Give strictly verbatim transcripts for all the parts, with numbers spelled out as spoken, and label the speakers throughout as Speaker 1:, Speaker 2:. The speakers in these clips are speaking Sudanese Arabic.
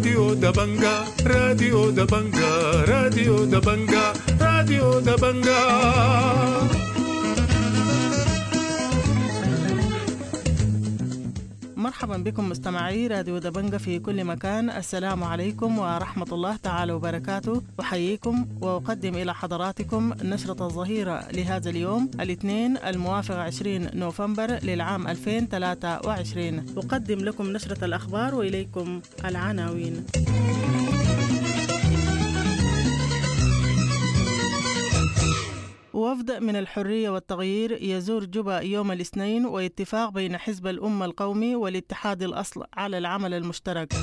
Speaker 1: راديو دبنجا راديو دبنجا راديو دبنجا راديو دبنجا.
Speaker 2: مرحبا بكم مستمعي راديو دبنجة في كل مكان. السلام عليكم ورحمة الله تعالى وبركاته. أحييكم وأقدم إلى حضراتكم نشرة الظهيرة لهذا اليوم الاثنين الموافق عشرين نوفمبر للعام ألفين وثلاثة وعشرين. أقدم لكم نشرة الأخبار وإليكم العناوين. وفد من الحرية والتغيير يزور جوبا يوم الاثنين، واتفاق بين حزب الأمة القومي والاتحاد الأصل على العمل المشترك.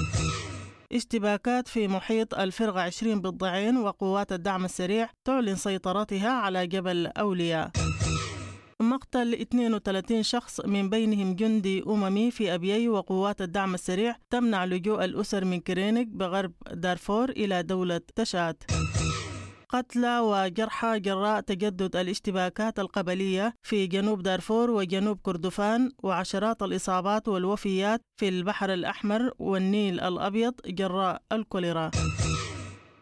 Speaker 2: اشتباكات في محيط الفرقة عشرين بالضعين، وقوات الدعم السريع تعلن سيطرتها على جبل أولياء. مقتل اثنين وثلاثين شخص من بينهم جندي أممي في أبيي، وقوات الدعم السريع تمنع لجوء الأسر من كرينك بغرب دارفور إلى دولة تشاد. قتلى وجرحى جراء تجدد الاشتباكات القبلية في جنوب دارفور وجنوب كردفان، وعشرات الإصابات والوفيات في البحر الأحمر والنيل الأبيض جراء الكوليرا.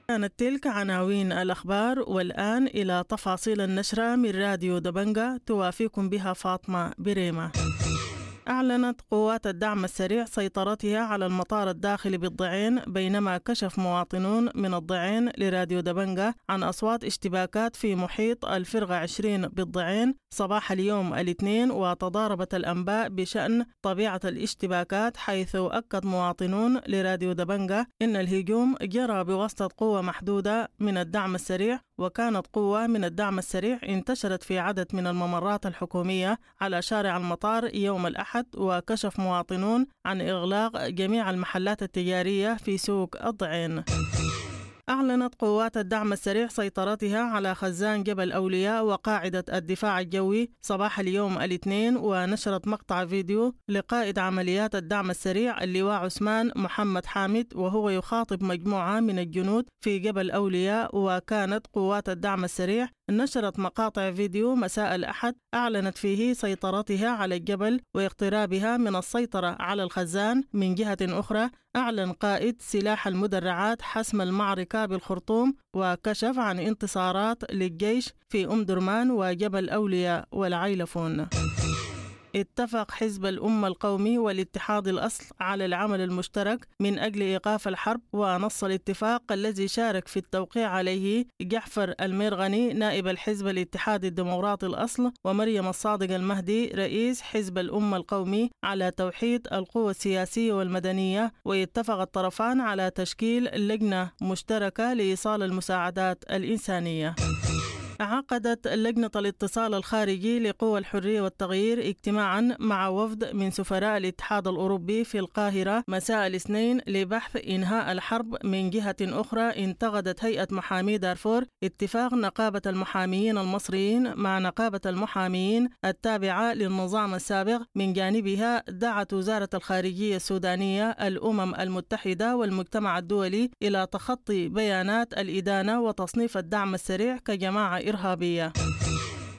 Speaker 2: كانت تلك عناوين الأخبار، والآن إلى تفاصيل النشرة من راديو دبنجة توافيكم بها فاطمة بريمة. أعلنت قوات الدعم السريع سيطرتها على المطار الداخلي بالضعين، بينما كشف مواطنون من الضعين لراديو دبنجة عن أصوات اشتباكات في محيط الفرقة عشرين بالضعين صباح اليوم الاثنين، وتضاربت الأنباء بشأن طبيعة الاشتباكات، حيث أكد مواطنون لراديو دبنجة إن الهجوم جرى بواسطة قوة محدودة من الدعم السريع، وكانت قوة من الدعم السريع انتشرت في عدد من الممرات الحكومية على شارع المطار يوم الأحد. وكشف مواطنون عن إغلاق جميع المحلات التجارية في سوق الضعين. أعلنت قوات الدعم السريع سيطرتها على خزان جبل أولياء وقاعدة الدفاع الجوي صباح اليوم الاثنين، ونشرت مقطع فيديو لقائد عمليات الدعم السريع اللواء عثمان محمد حامد وهو يخاطب مجموعة من الجنود في جبل أولياء. وكانت قوات الدعم السريع نشرت مقاطع فيديو مساء الأحد أعلنت فيه سيطرتها على الجبل واقترابها من السيطرة على الخزان. من جهة أخرى، أعلن قائد سلاح المدرعات حسم المعركة بالخرطوم، وكشف عن انتصارات للجيش في أم درمان وجبل أولياء والعيلفون. اتفق حزب الأمة القومي والاتحاد الأصل على العمل المشترك من أجل إيقاف الحرب، ونص الاتفاق الذي شارك في التوقيع عليه جعفر الميرغني نائب الحزب الاتحادي الديمقراطي الأصل، ومريم الصادق المهدي رئيس حزب الأمة القومي على توحيد القوى السياسية والمدنية. ويتفق الطرفان على تشكيل لجنة مشتركة لإيصال المساعدات الإنسانية. عقدت لجنة الاتصال الخارجي لقوى الحرية والتغيير اجتماعا مع وفد من سفراء الاتحاد الأوروبي في القاهرة مساء الاثنين لبحث إنهاء الحرب. من جهة أخرى، انتقدت هيئة محامي دارفور اتفاق نقابة المحاميين المصريين مع نقابة المحاميين التابعة للنظام السابق. من جانبها، دعت وزارة الخارجية السودانية الأمم المتحدة والمجتمع الدولي إلى تخطي بيانات الإدانة وتصنيف الدعم السريع كجماعة إرهابية.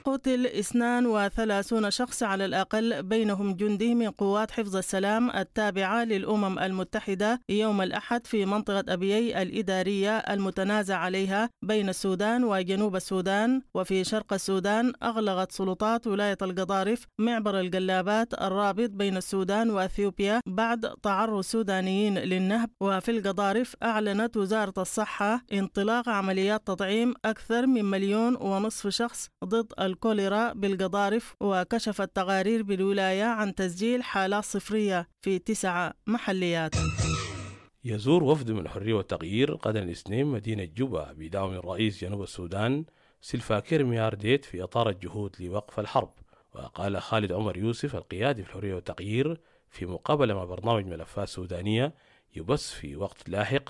Speaker 2: قتل اثنان وثلاثون شخص على الأقل بينهم جندي من قوات حفظ السلام التابعة للأمم المتحدة يوم الأحد في منطقة أبيي الإدارية المتنازع عليها بين السودان وجنوب السودان. وفي شرق السودان، أغلقت سلطات ولاية القضارف معبر القلابات الرابط بين السودان وأثيوبيا بعد تعرض السودانيين للنهب. وفي القضارف، أعلنت وزارة الصحة انطلاق عمليات تطعيم أكثر من مليون ونصف شخص ضد الكوليرا بالقضارف. وكشفت تقارير بالولاية عن تسجيل حالات صفرية في تسعة محليات.
Speaker 3: يزور وفد من الحرية والتغيير غدا الاثنين مدينة جوبا بدعم الرئيس جنوب السودان سلفاكير ميارديت في إطار الجهود لوقف الحرب. وقال خالد عمر يوسف القيادي في الحرية والتغيير في مقابلة مع برنامج ملفات سودانية يبث في وقت لاحق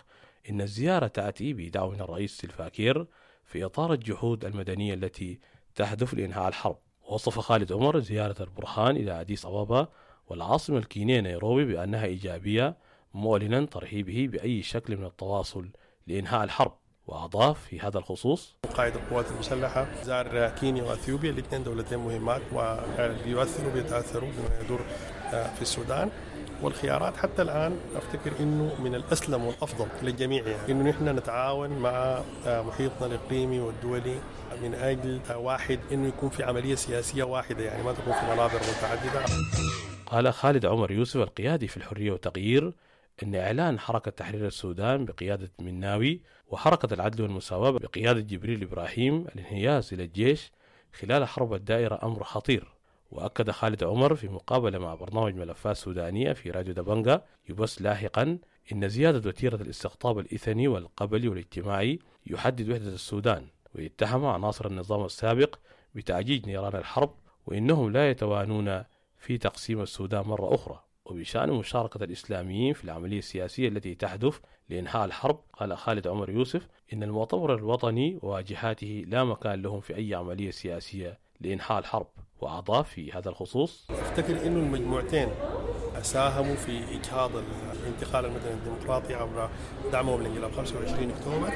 Speaker 3: إن الزيارة تأتي بدعم الرئيس سلفاكير في إطار الجهود المدنية التي تهدف لإنهاء الحرب. وصف خالد عمر زيارة البرهان إلى أديس أبابا والعاصمة الكينية نيروبي بأنها إيجابية، معلنا ترحيبه بأي شكل من التواصل لإنهاء الحرب. وأضاف في هذا الخصوص:
Speaker 4: قائد القوات المسلحة زار كينيا وأثيوبيا، الاثنين دولتين مهمات وبيؤثروا بيتأثروا بما يدور في السودان، والخيارات حتى الآن أفتكر أنه من الأسلم والأفضل للجميع يعني أنه نحن نتعاون مع محيطنا الإقليمي والدولي من أجل واحد أنه يكون في عملية سياسية واحدة، يعني ما تكون في منابر متعددة.
Speaker 3: قال خالد عمر يوسف القيادي في الحرية والتغيير أن إعلان حركة تحرير السودان بقيادة مناوي وحركة العدل والمساواة بقيادة جبريل إبراهيم الانحياز إلى الجيش خلال حرب الدائرة أمر خطير. وأكد خالد عمر في مقابلة مع برنامج ملفات سودانية في راديو دبنجا يبث لاحقا إن زيادة وتيرة الاستقطاب الإثني والقبلي والاجتماعي يحدد وحدة السودان، ويتهم عناصر النظام السابق بتأجيج نيران الحرب وإنهم لا يتوانون في تقسيم السودان مرة أخرى. وبشأن مشاركة الإسلاميين في العملية السياسية التي تهدف لإنهاء الحرب، قال خالد عمر يوسف إن المؤتمر الوطني وواجهاته لا مكان لهم في أي عملية سياسية لإنهاء الحرب. وأضاف في هذا الخصوص:
Speaker 4: أفتكر إنه المجموعتين ساهموا في إجهاض الانتقال المدني الديمقراطي عبر دعمهم لانقلاب خمسة وعشرين أكتوبر،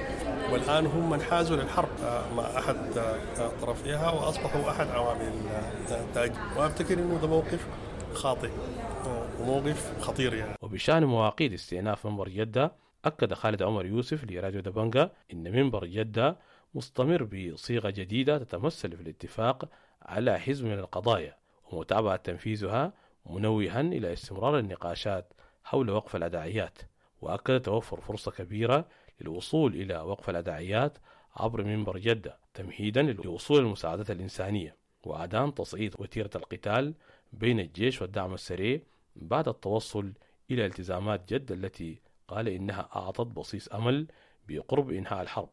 Speaker 4: والآن هم انحازوا للحرب مع أحد طرفيها وأصبحوا أحد عوامل التأجيل، وأفتكر إنه ده موقف خاطئ وموقف خطير يعني.
Speaker 3: وبشأن مواقيت استئناف منبر جدة، أكد خالد عمر يوسف لراديو دبنجا إن منبر جدة مستمر بصيغة جديدة تتمثل في الاتفاق على حزم من القضايا ومتابعة تنفيذها، منوها إلى استمرار النقاشات حول وقف الأداعيات. وأكد توفر فرصة كبيرة للوصول إلى وقف الأداعيات عبر منبر جدة تمهيدا لوصول المساعدات الإنسانية وعدم تصعيد وتيرة القتال بين الجيش والدعم السريع بعد التوصل إلى التزامات جدة التي قال إنها أعطت بصيص أمل بقرب إنهاء الحرب.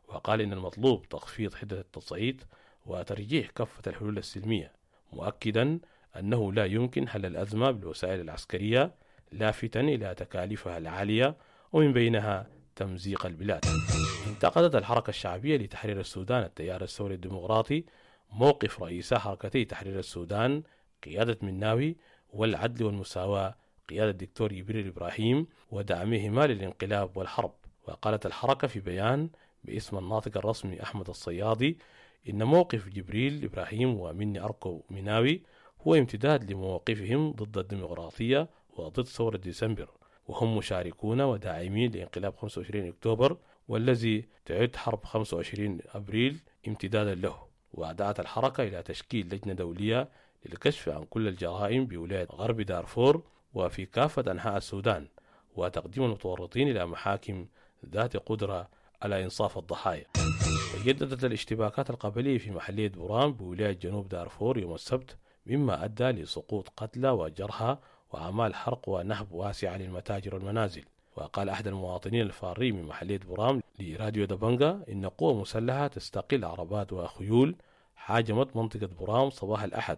Speaker 3: وقال إن المطلوب تخفيض حدة التصعيد وترجيح كافة الحلول السلمية، مؤكدا أنه لا يمكن حل الأزمة بالوسائل العسكرية، لافتا إلى تكاليفها العالية ومن بينها تمزيق البلاد. انتقدت الحركة الشعبية لتحرير السودان التيار الثوري الديمقراطي موقف رئيسا حركتي تحرير السودان قيادة مناوي والعدل والمساواة قيادة الدكتور جبريل إبراهيم ودعمهما للانقلاب والحرب. وقالت الحركة في بيان باسم الناطق الرسمي أحمد الصيادي إن موقف جبريل إبراهيم ومني أركو مناوي هو امتداد لمواقفهم ضد الديمقراطية وضد ثورة ديسمبر، وهم مشاركون وداعمين لانقلاب خمسة وعشرين أكتوبر والذي تعد حرب خمسة وعشرين أبريل امتدادا له. ودعت الحركة إلى تشكيل لجنة دولية للكشف عن كل الجرائم بولاية غرب دارفور وفي كافة أنحاء السودان، وتقديم المتورطين إلى محاكم ذات قدرة على إنصاف الضحايا. تجددت الاشتباكات القبلية في محلية بوران بولاية جنوب دارفور يوم السبت، مما أدى لسقوط قتلى وجرحى وأعمال حرق ونهب واسعة للمتاجر والمنازل. وقال أحد المواطنين الفارين من محلية بورام لراديو دبنجا إن قوة مسلحة تستقل عربات وخيول هاجمت منطقة بورام صباح الأحد،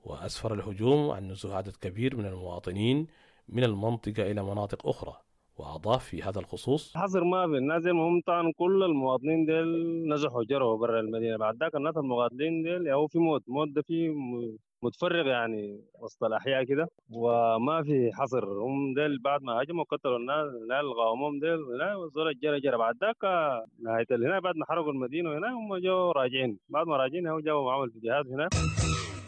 Speaker 3: وأسفر الهجوم عن نزوح عدد كبير من المواطنين من المنطقة إلى مناطق أخرى. وأضاف في هذا الخصوص:
Speaker 5: حصر ما في الناس المهم طبعا كل المواطنين ديل نزحوا جروا برا المدينة، بعد ذاك الناس المقاتلين ديل هو في موت موت ده في متفرغ يعني وسط الأحياء كده، وما في حصر. هم ديل بعد ما هاجموا قتلوا الناس لا الغاومهم ديل لا وزول الجرى جرى بعد ذاك نهاية هنا بعد ما حرقوا المدينة هنا هم جو راجعين، بعد ما راجعين هو جابوا معهم الفيديوهات هنا.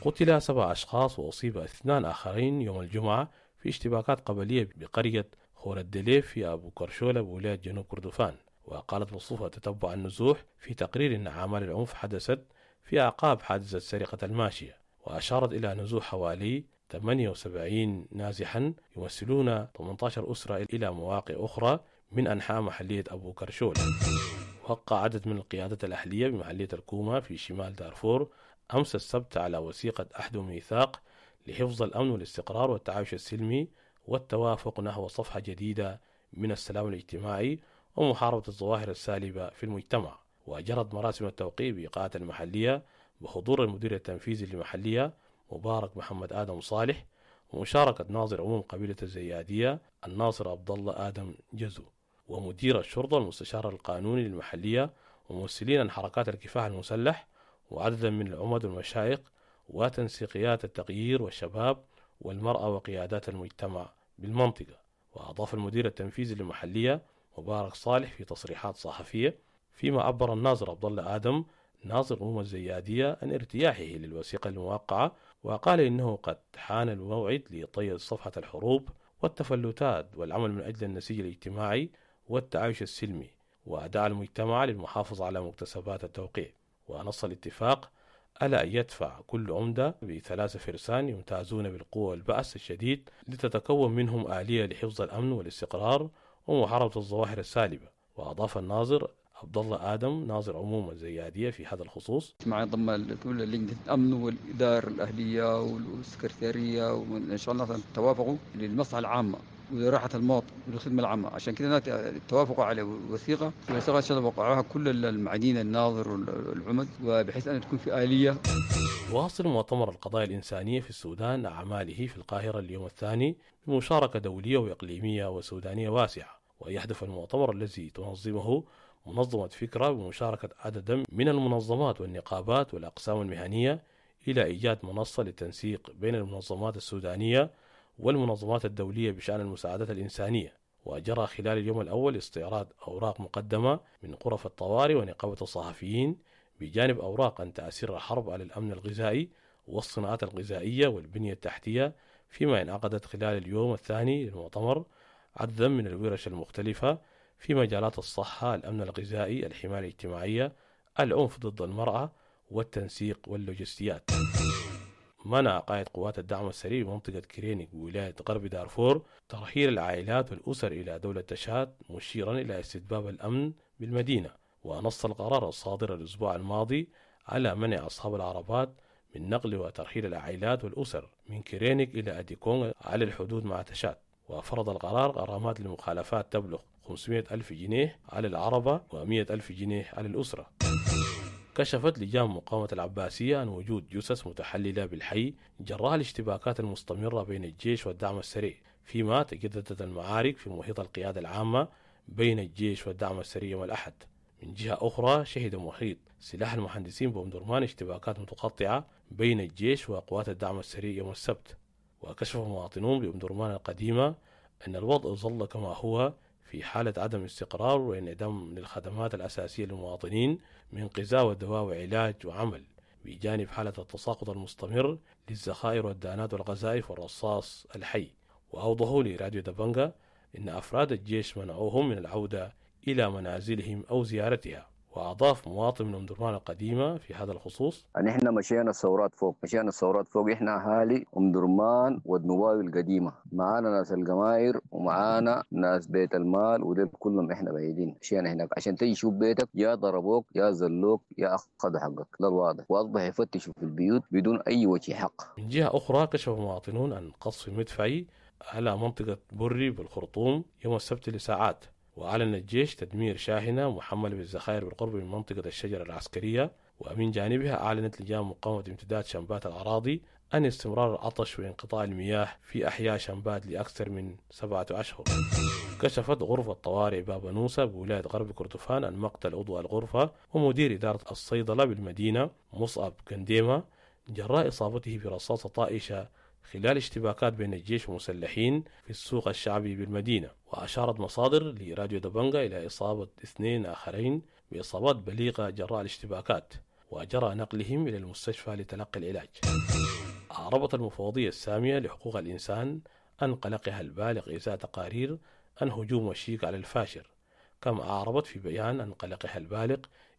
Speaker 3: قتل سبع أشخاص وأصيب اثنان آخرين يوم الجمعة في اشتباكات قبلية بقرية خور الدليف في أبو كرشولة بولاية جنوب كردفان. وقالت مصطفى تتبع النزوح في تقرير أن أعمال العنف حدثت في أعقاب حادثة سرقة الماشية، وأشارت إلى نزوح حوالي ثمانية وسبعين نازحا يمثلون ثمانية عشر أسرة إلى مواقع أخرى من أنحاء محلية أبو كرشولة. وقع عدد من القيادات الأهلية بمحلية الكومة في شمال دارفور أمس السبت على وثيقة عهد وميثاق لحفظ الأمن والاستقرار والتعايش السلمي والتوافق نحو صفحة جديدة من السلام الاجتماعي ومحاربة الظواهر السالبة في المجتمع. وأجرت مراسم التوقيع بإقاعة المحلية بحضور المدير التنفيذي للمحلية مبارك محمد آدم صالح ومشاركة ناظر عموم قبيلة الزيادية الناصر عبد الله آدم جزو ومدير الشرطة المستشار القانوني للمحلية وممثلين عن حركات الكفاح المسلح وعددا من العمد والمشايخ وتنسيقيات التغيير والشباب والمرأة وقيادات المجتمع بالمنطقة. وأضاف المدير التنفيذي للمحلية مبارك صالح في تصريحات صحفية فيما عبر الناظر عبد الله آدم ناظر عموم الزيادية عن ارتياحه للوثيقة الموقعة، وقال إنه قد حان الموعد لطي صفحة الحروب والتفلتات والعمل من أجل النسيج الاجتماعي والتعايش السلمي، ودعا المجتمع للمحافظة على مكتسبات التوقيع. ونص الاتفاق ألا أن يدفع كل عمدة بثلاثة فرسان يمتازون بالقوة والبأس الشديد لتتكون منهم آلية لحفظ الأمن والاستقرار ومحاربة الظواهر السالبة. وأضاف الناظر عبد الله آدم ناظر عموم الزيادية في هذا الخصوص:
Speaker 6: مع ضم كل لجنة الأمن والإدارة الأهلية والسكرتيرية، وإن شاء الله توافقوا للمصلحة العامة ولراحة المواطن والخدمة العامة. عشان كده توافقوا على وثيقة وثيقة إن شاء الله وقعوها كل المعدين الناظر والعمد، وبحيث أن تكون في آلية.
Speaker 3: واصل مؤتمر القضايا الإنسانية في السودان أعماله في القاهرة اليوم الثاني بمشاركة دولية وإقليمية وسودانية واسعة. ويهدف المؤتمر الذي تنظمه منظمة فكرة بمشاركة عددا من المنظمات والنقابات والأقسام المهنية إلى إيجاد منصة للتنسيق بين المنظمات السودانية والمنظمات الدولية بشأن المساعدات الإنسانية. وجرى خلال اليوم الأول استعراض أوراق مقدمة من غرف الطوارئ ونقابة الصحفيين بجانب أوراق عن تأثير الحرب على الأمن الغذائي والصناعات الغذائية والبنية التحتية، فيما انعقدت خلال اليوم الثاني للمؤتمر عددا من الورش المختلفة في مجالات الصحة، الأمن الغذائي، الحماية الاجتماعية، العنف ضد المرأة، والتنسيق واللوجستيات. منع قائد قوات الدعم السريع بمنطقة كرينيك بولاية غرب دارفور ترحيل العائلات والأسر إلى دولة تشاد، مشيرا إلى استتباب الأمن بالمدينة. ونص القرار الصادر الأسبوع الماضي على منع أصحاب العربات من نقل وترحيل العائلات والأسر من كرينيك إلى أديكونغ على الحدود مع تشاد. وفرض القرار غرامات للمخالفات تبلغ خمسمائة ألف جنيه على العربة ومائة ألف جنيه على الأسرة. كشفت لجان مقاومة العباسية عن وجود جثث متحللة بالحي جراء الاشتباكات المستمرة بين الجيش والدعم السريع، فيما تجددت المعارك في محيط القيادة العامة بين الجيش والدعم السريع يوم الأحد. من جهة أخرى، شهد محيط سلاح المهندسين بأم اشتباكات متقطعة بين الجيش وقوات الدعم السريع يوم السبت. وكشف مواطنون بأم درمان القديمة أن الوضع ظل كما هو في حالة عدم استقرار وانعدام للخدمات الأساسية للمواطنين من غذاء ودواء وعلاج وعمل، بجانب حالة التساقط المستمر للذخائر والدانات والقذائف والرصاص الحي. وأوضحوا لراديو دبنجا أن أفراد الجيش منعوهم من العودة إلى منازلهم أو زيارتها. وأضاف مواطن من أم درمان القديمة في هذا الخصوص:
Speaker 7: نحن مشينا الثورات فوق، مشينا الثورات فوق، إحنا أهالي أم درمان والنواوي القديمة، معانا ناس القماير ومعانا ناس بيت المال ودول كلهم إحنا بعيدين. مشينا هناك عشان تيجي تشوف بيتك، يا ضربوك يا زلوك يا أخذوا حقك، ده الواضح. وأصبح يفتشوا في البيوت بدون أي وجه حق.
Speaker 3: من جهة أخرى، كشف مواطنون عن قصف مدفعي على منطقة بري بالخرطوم يوم السبت لساعات. وأعلن الجيش تدمير شاحنة محملة بالذخائر بالقرب من منطقة الشجرة العسكرية. ومن جانبها أعلنت لجان مقاومة امتداد شمبات الأراضي أن استمرار العطش وانقطاع المياه في أحياء شمبات لأكثر من سبعة أشهر. كشفت غرفة طوارئ بابنوسة بولاية غرب كردفان عن مقتل عضو الغرفة ومدير إدارة الصيدلة بالمدينة مصعب كنديمة جراء إصابته برصاصة طائشة خلال اشتباكات بين الجيش ومسلحين في السوق الشعبي بالمدينة. وأشارت مصادر لراديو دبنجا إلى إصابة اثنين آخرين بإصابات بليغة جراء الاشتباكات، وجرى نقلهم إلى المستشفى لتلقي العلاج. أعربت المفوضية السامية لحقوق الإنسان عن قلقها البالغ إزاء تقارير عن هجوم وشيك على الفاشر، كما أعربت في بيان عن قلقها البالغ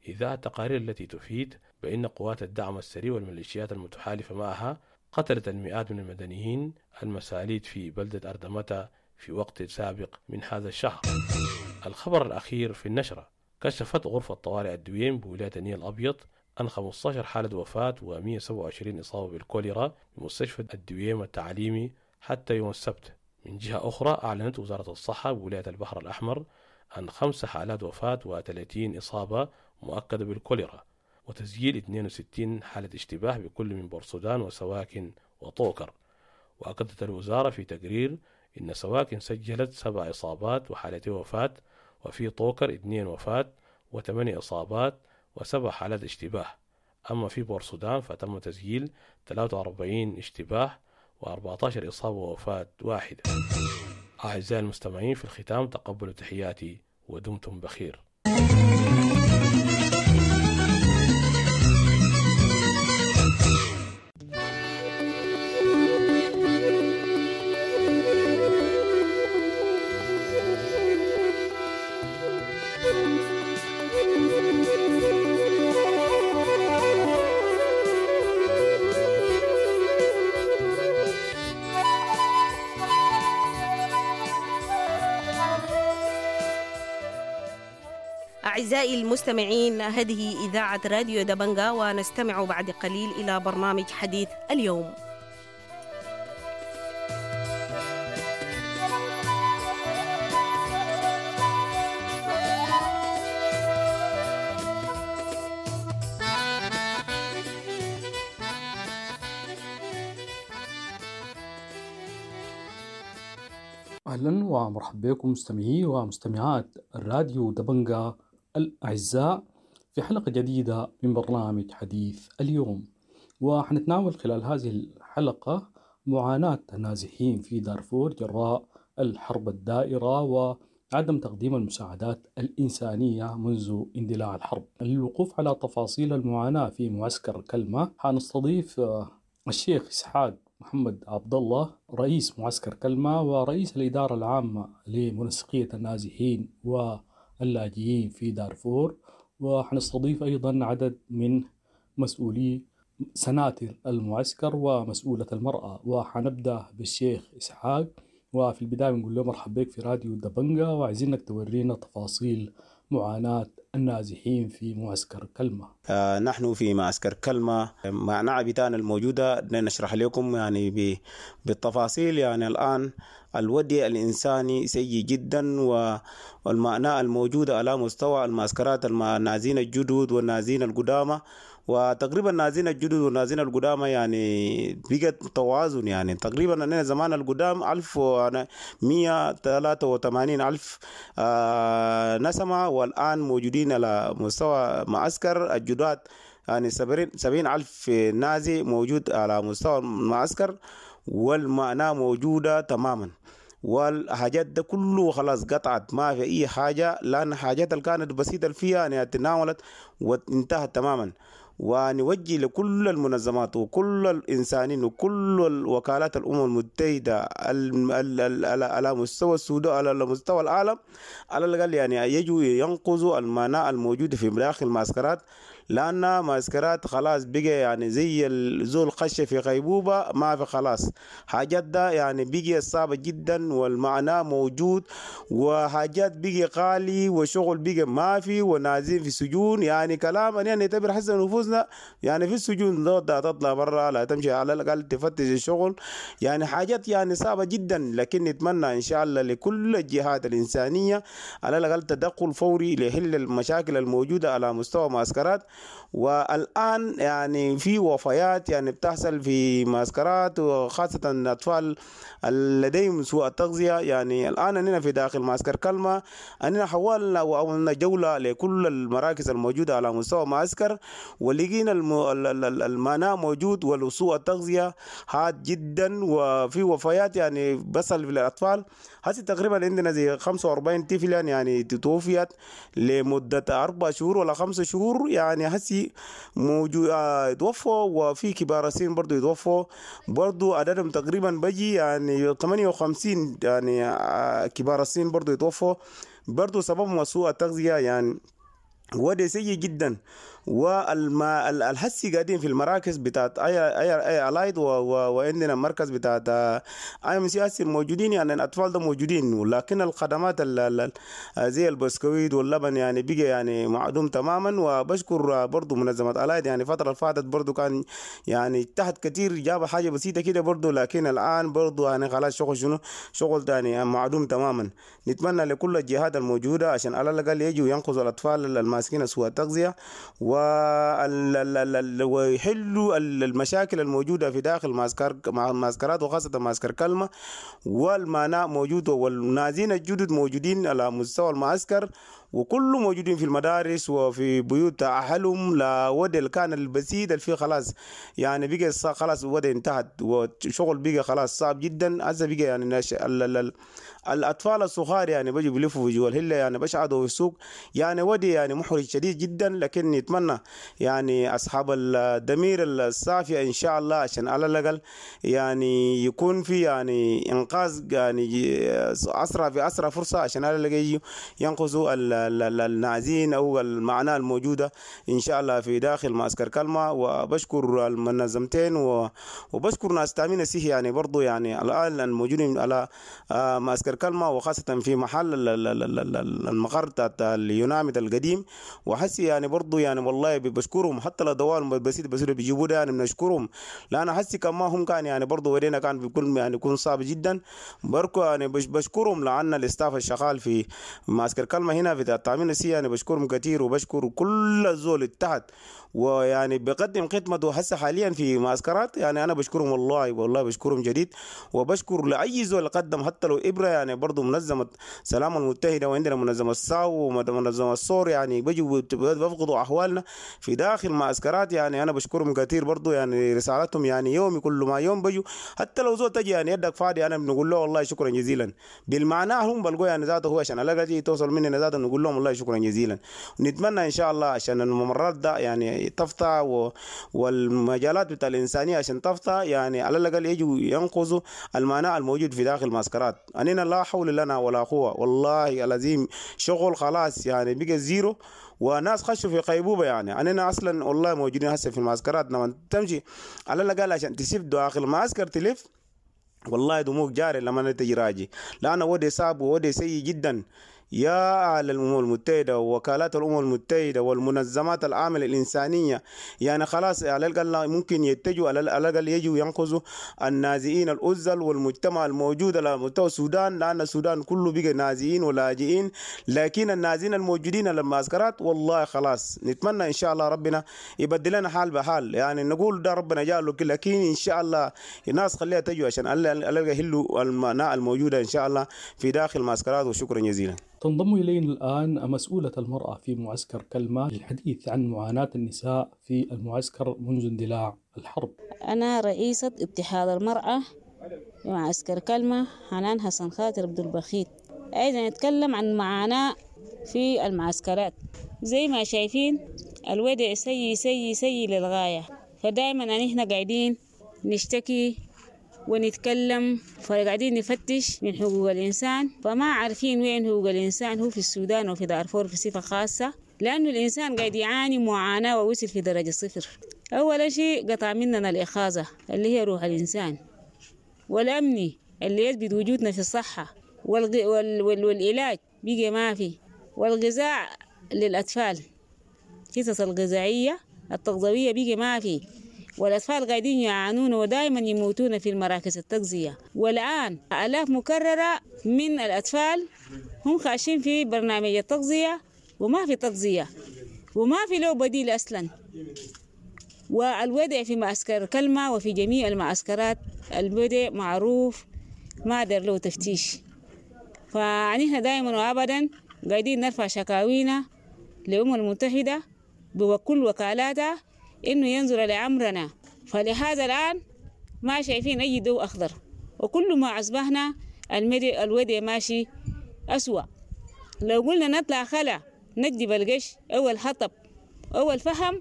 Speaker 3: إزاء التقارير التي تفيد بأن قوات الدعم السري والميليشيات المتحالفة معها قتلت المئات من المدنيين المساليت في بلدة أردمتا في وقت سابق من هذا الشهر. الخبر الأخير في النشرة: كشفت غرفة طوارئ الدويم بولاية النيل الأبيض عن خمسة عشر حالة وفاة ومئة وسبعة وعشرين إصابة بالكوليرا بمستشفى الدويم التعليمي حتى يوم السبت. من جهة أخرى، أعلنت وزارة الصحة بولاية البحر الأحمر عن خمس حالات وفاة وثلاثين إصابة مؤكدة بالكوليرا، وتسجيل اثنين وستين حالة اشتباه بكل من بورسودان وسواكن وطوكر. وأكدت الوزارة في تقرير إن سواكن سجلت سبع إصابات وحالتين وفاة، وفي طوكر اثنين وفاة وثمانية إصابات وسبع حالات اشتباه. أما في بورسودان فتم تسجيل ثلاثة وأربعين اشتباه وأربعة عشر إصابة ووفاة واحدة. أعزائي المستمعين، في الختام تقبلوا تحياتي ودمتم بخير.
Speaker 8: أعزائي المستمعين، هذه إذاعة راديو دبنجا، ونستمع بعد قليل إلى برنامج حديث اليوم.
Speaker 9: أهلا ومرحبا بكم مستمعي ومستمعات الراديو دبنجا الأعزاء في حلقة جديدة من برنامج حديث اليوم. وحنتناول خلال هذه الحلقة معاناة النازحين في دارفور جراء الحرب الدائرة وعدم تقديم المساعدات الإنسانية منذ اندلاع الحرب. للوقوف على تفاصيل المعاناة في معسكر كلمة حنستضيف الشيخ إسحاق محمد عبد الله، رئيس معسكر كلمة ورئيس الإدارة العامة لمنسقية النازحين واللاجئين في دارفور، وحنستضيف أيضا عدد من مسؤولي سناتر المعسكر ومسؤولة المرأة. وحنبدأ بالشيخ إسحاق، وفي البداية بنقول له مرحبا بك في راديو دبنجا، وعايزينك تورينا تفاصيل معاناة النازحين في معسكر كلمة.
Speaker 10: آه نحن في معسكر كلمة معناة بتاعنا الموجودة نشرح لكم يعني بالتفاصيل. يعني الآن الوضع الإنساني سيء جدا، والمعنى الموجودة على مستوى المعسكرات النازحين الجدد والنازحين القدامى، وتقريبا النازحين الجدد والنازحين القدامى يعني بقت توازن. يعني تقريبا أننا زمان القدام ألف ومية ثلاثة وثمانين ألف آه نسمة، والآن موجودين على مستوى معسكر الجداد يعني سبعين ألف نازي موجود على مستوى المعسكر، والمعنى موجودة تماما، والحاجات ده كله خلاص قطعت، ما في أي حاجة، لأن حاجات اللي كانت بسيطة فيها يعني تناولت وانتهت تماما. ونوجه لكل المنظمات وكل الإنسانين وكل الوكالات الأمم المتحدة على مستوى السودان على مستوى العالم على الأقل يعني يجوا ينقذوا المناعة الموجودة في داخل المعسكرات، لأن معسكرات خلاص بقى يعني زي الزول خش في غيبوبة، ما في خلاص حاجات ده يعني بقي صعبة جدا، والمعنى موجود، وحاجات بقي غالي، وشغل بقي ما في، ونازين في سجون. يعني كلام يعني نعتبر حسن نفوسنا يعني في السجون ده تطلع برا لا تمشي على الأقل تفتش الشغل، يعني حاجات يعني صعبة جدا. لكن نتمنى إن شاء الله لكل الجهات الإنسانية على الأقل تدخل فوري لحل المشاكل الموجودة على مستوى معسكرات. والآن يعني في وفيات يعني بتحصل في معسكرات، وخاصة الأطفال لديهم سوء التغذية. يعني الآن أننا في داخل معسكر كلمة أننا حولنا وأولنا جولة لكل المراكز الموجودة على مستوى معسكر، ولقينا المعنى موجود والسوء التغذية حاد جدا، وفي وفيات يعني بصل في الأطفال. هسه تقريبا عندنا زي خمسة وأربعين طفلا يعني توفيت لمدة أربع شهور ولا خمسة شهور، يعني هسي موجود يتوفوا، وفي كبار السن برضو يتوفوا برضو عددهم تقريبا بجي يعني ثمانية وخمسين يعني كبار السن برضو يتوفوا برضو سببهم سوء التغذية، يعني وده سيء جدا. والما الهسي قاعدين في المراكز بتاعت اي اي اي الايد، وعندنا مركز بتاعت اي ام سي اس موجودين، يعني الاطفال ده موجودين، ولكن الخدمات ال زي البسكويت واللبن يعني بقى يعني معدوم تماما. وبشكر برضو منظمه الايد، يعني الفتره اللي فاتت برضو كان يعني اجتهد كثير، جاب حاجه بسيطه كده برضو، لكن الان برضو يعني خلاص شغل شنو شغل ثاني معدوم تماما. نتمنى لكل الجهات الموجوده عشان على الاقل يجوا ينقذوا الاطفال الماسكين سوء التغذيه ويحلوا المشاكل الموجودة في داخل معسكر معسكرات، وخاصة معسكر كلمة. والمعنى موجود، والنازين الجدد موجودين على مستوى المعسكر، وكله موجودين في المدارس وفي بيوت أهلهم. لا ودي كان البسيط اللي فيه خلاص يعني بقى خلاص ودي انتهت، وشغل بقى خلاص صعب جدا. هسه بقى يعني ناش ال ال ال الأطفال الصغار يعني بيجوا بيلفوا في جوا الهلة، يعني بشعدوا في السوق، يعني ودي يعني محرج شديد جدا. لكن نتمنى نتمنى يعني أصحاب الضمير الصافية إن شاء الله عشان على الأقل يعني يكون في يعني إنقاذ يعني أسرع في أسرع فرصة عشان على الأقل ينقذوا النازين أو المعاناة الموجودة إن شاء الله في داخل معسكر كلمة. وبشكر المنظمتين وبشكر ناس تأمين الصحي يعني برضو يعني الآن الموجودين على معسكر كلمة، وخاصة في محل المقر بتاع اليوناميد القديم. وحسي يعني برضو يعني والله بشكرهم حتى لو دوال بسيط بسيط بيجيبوا ده يعني بنشكرهم، لأن حسي كما هم كان يعني برضو ورينا كان بيكون يعني يكون صعب جدا بركو يعني بشكرهم، لأن ال staff الشغال في معسكر كلمة هنا في التأمين الصحي يعني بشكرهم كثير، وبشكر كل الزول اتحد ويعني بقدم خدمته هسه حاليا في معسكرات. يعني انا بشكرهم والله والله بشكرهم جديد، وبشكر لاي زول قدم حتى لو ابره يعني برضه منظمة سلام المتحدة، وعندنا منظمة الساو ومنظمة الصور يعني بيجوا بيفقدوا احوالنا في داخل معسكرات. يعني انا بشكرهم كثير برضه يعني رسالتهم يعني يومي كل ما يوم بيجوا حتى لو زول تجي يعني يدك فاضي انا بنقول له والله شكرا جزيلا بالمعنى هم بلقوا يعني ذاته هو عشان الاقي توصل مننا ذاته نقول لهم والله شكرا جزيلا. ونتمنى ان شاء الله عشان الممرات ده يعني تفتح و... والمجالات بتاع الإنسانية عشان تفتح يعني على الأقل يجوا ينقذوا المعنى الموجود في داخل المعسكرات. أننا لا حول لنا ولا قوة والله العظيم، شغل خلاص يعني بقى zero وناس خشوا في غيبوبة. يعني أننا أصلا والله موجودين هسه في المعسكرات، لما تمشي على الأقل عشان تسيب داخل المعسكر تلف والله دموع جاري لما تجي راجي، لأنه ودي صعب وودي سيء جدا. يا أهل الأمم المتحدة ووكالات الأمم المتحدة والمنظمات العاملة الإنسانية يعني خلاص على الأقل ممكن يتجوا على الأقل يجوا ينقذوا النازئين الأزل والمجتمع الموجود على مستوى السودان، لأن السودان كله بقى نازئين ولاجئين، لكن النازئين الموجودين على المعسكرات والله خلاص نتمنى إن شاء الله ربنا يبدل لنا حال بحال، يعني نقول ده ربنا جاله، لكن إن شاء الله الناس خليها تجوا عشان على الأقل يحلوا المعنى الموجودة إن شاء الله في داخل المعسكرات. وشكرا جزيلا.
Speaker 9: تنضم إلينا الآن مسؤولة المرأة في معسكر كلمة للحديث عن معاناة النساء في المعسكر منذ اندلاع الحرب.
Speaker 11: أنا رئيسة اتحاد المرأة في معسكر كلمة حنان حسن خاطر عبد البخيت. عايزة نتكلم عن معاناة في المعسكرات. زي ما شايفين الوضع سيء سيء سيء للغاية، فدائما نحن قاعدين نشتكي ونتكلم، فقاعدين نفتش من حقوق الإنسان، فما عارفين وين حقوق الإنسان هو في السودان وفي دارفور في صفة خاصة، لأنه الإنسان قاعد يعاني معاناة ووصل في درجة صفر. أول شيء قطع مننا الإخاذة اللي هي روح الإنسان، والأمني اللي يثبت وجودنا في الصحة، والغ... وال... وال... والعلاج بقى ما في، والغذاء للأطفال حصص الغذائية التغذوية بقى ما في، والأطفال قاعدين يعانون ودائما يموتون في المراكز التغذية. والآن آلاف مكررة من الأطفال هم خاشين في برنامج التغذية وما في تغذية وما في له بديل أصلا. والوضع في معسكر كلمة وفي جميع المعسكرات الوضع معروف، ما دار له تفتيش. فنحن دائما وأبدا قاعدين نرفع شكاوينا للأمم المتحدة بكل وكالاتها إنه ينظر لأمرنا. فلهذا الآن ما شايفين أي ضوء أخضر، وكل ما أصبحنا الوضع ماشي أسوأ. لو قلنا نطلع خلا نجيب القش أو الحطب أو الفحم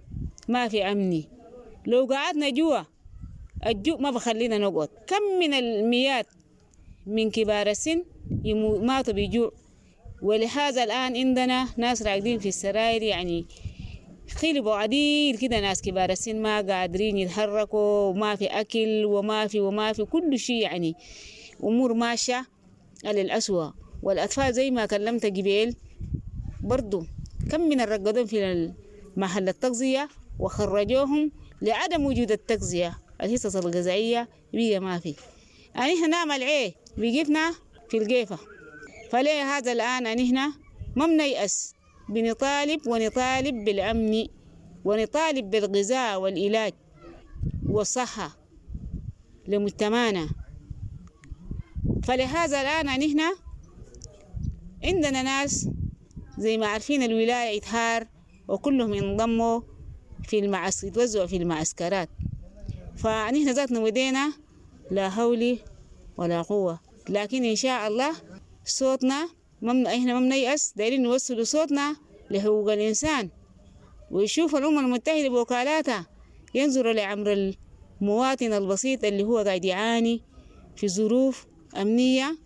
Speaker 11: ما في أمني. لو قعدنا جوا الجوع ما بخلينا نقعد. كم من المئات من كبار السن ماتوا بجوع. ولهذا الآن عندنا ناس راقدين في السراير، يعني خلبوا عديل كده، ناس كبار السن ما قادرين يتحركوا، وما في أكل وما في وما في كل شيء، يعني أمور ماشية للأسوأ. والأطفال زي ما كلمت قبيل برضو كم من الرقدون في محل التغذية وخرجوهم لعدم وجود التغذية، الحصص الغذائية بيجي ما في. يعني احنا نعمل ايه؟ بيجفنا في القيفة. فليه هذا الآن نحن ما بنيأس، بنطالب ونطالب بالأمن ونطالب بالغذاء والعلاج والصحة لمجتمعنا. فلهذا الآن نحن عندنا ناس زي ما عارفين الولاية إتهار وكلهم ينضموا في المعس يتوزعوا في المعسكرات. فنحن ذاتنا ودينا لا حول ولا قوة، لكن إن شاء الله صوتنا مم... إحنا ما بنيأس، دايرين نوصلوا صوتنا لحقوق الإنسان. ويشوف الأمم المتحدة بوكالاتها ينظروا لأمر المواطن البسيط اللي هو قاعد يعاني في ظروف أمنية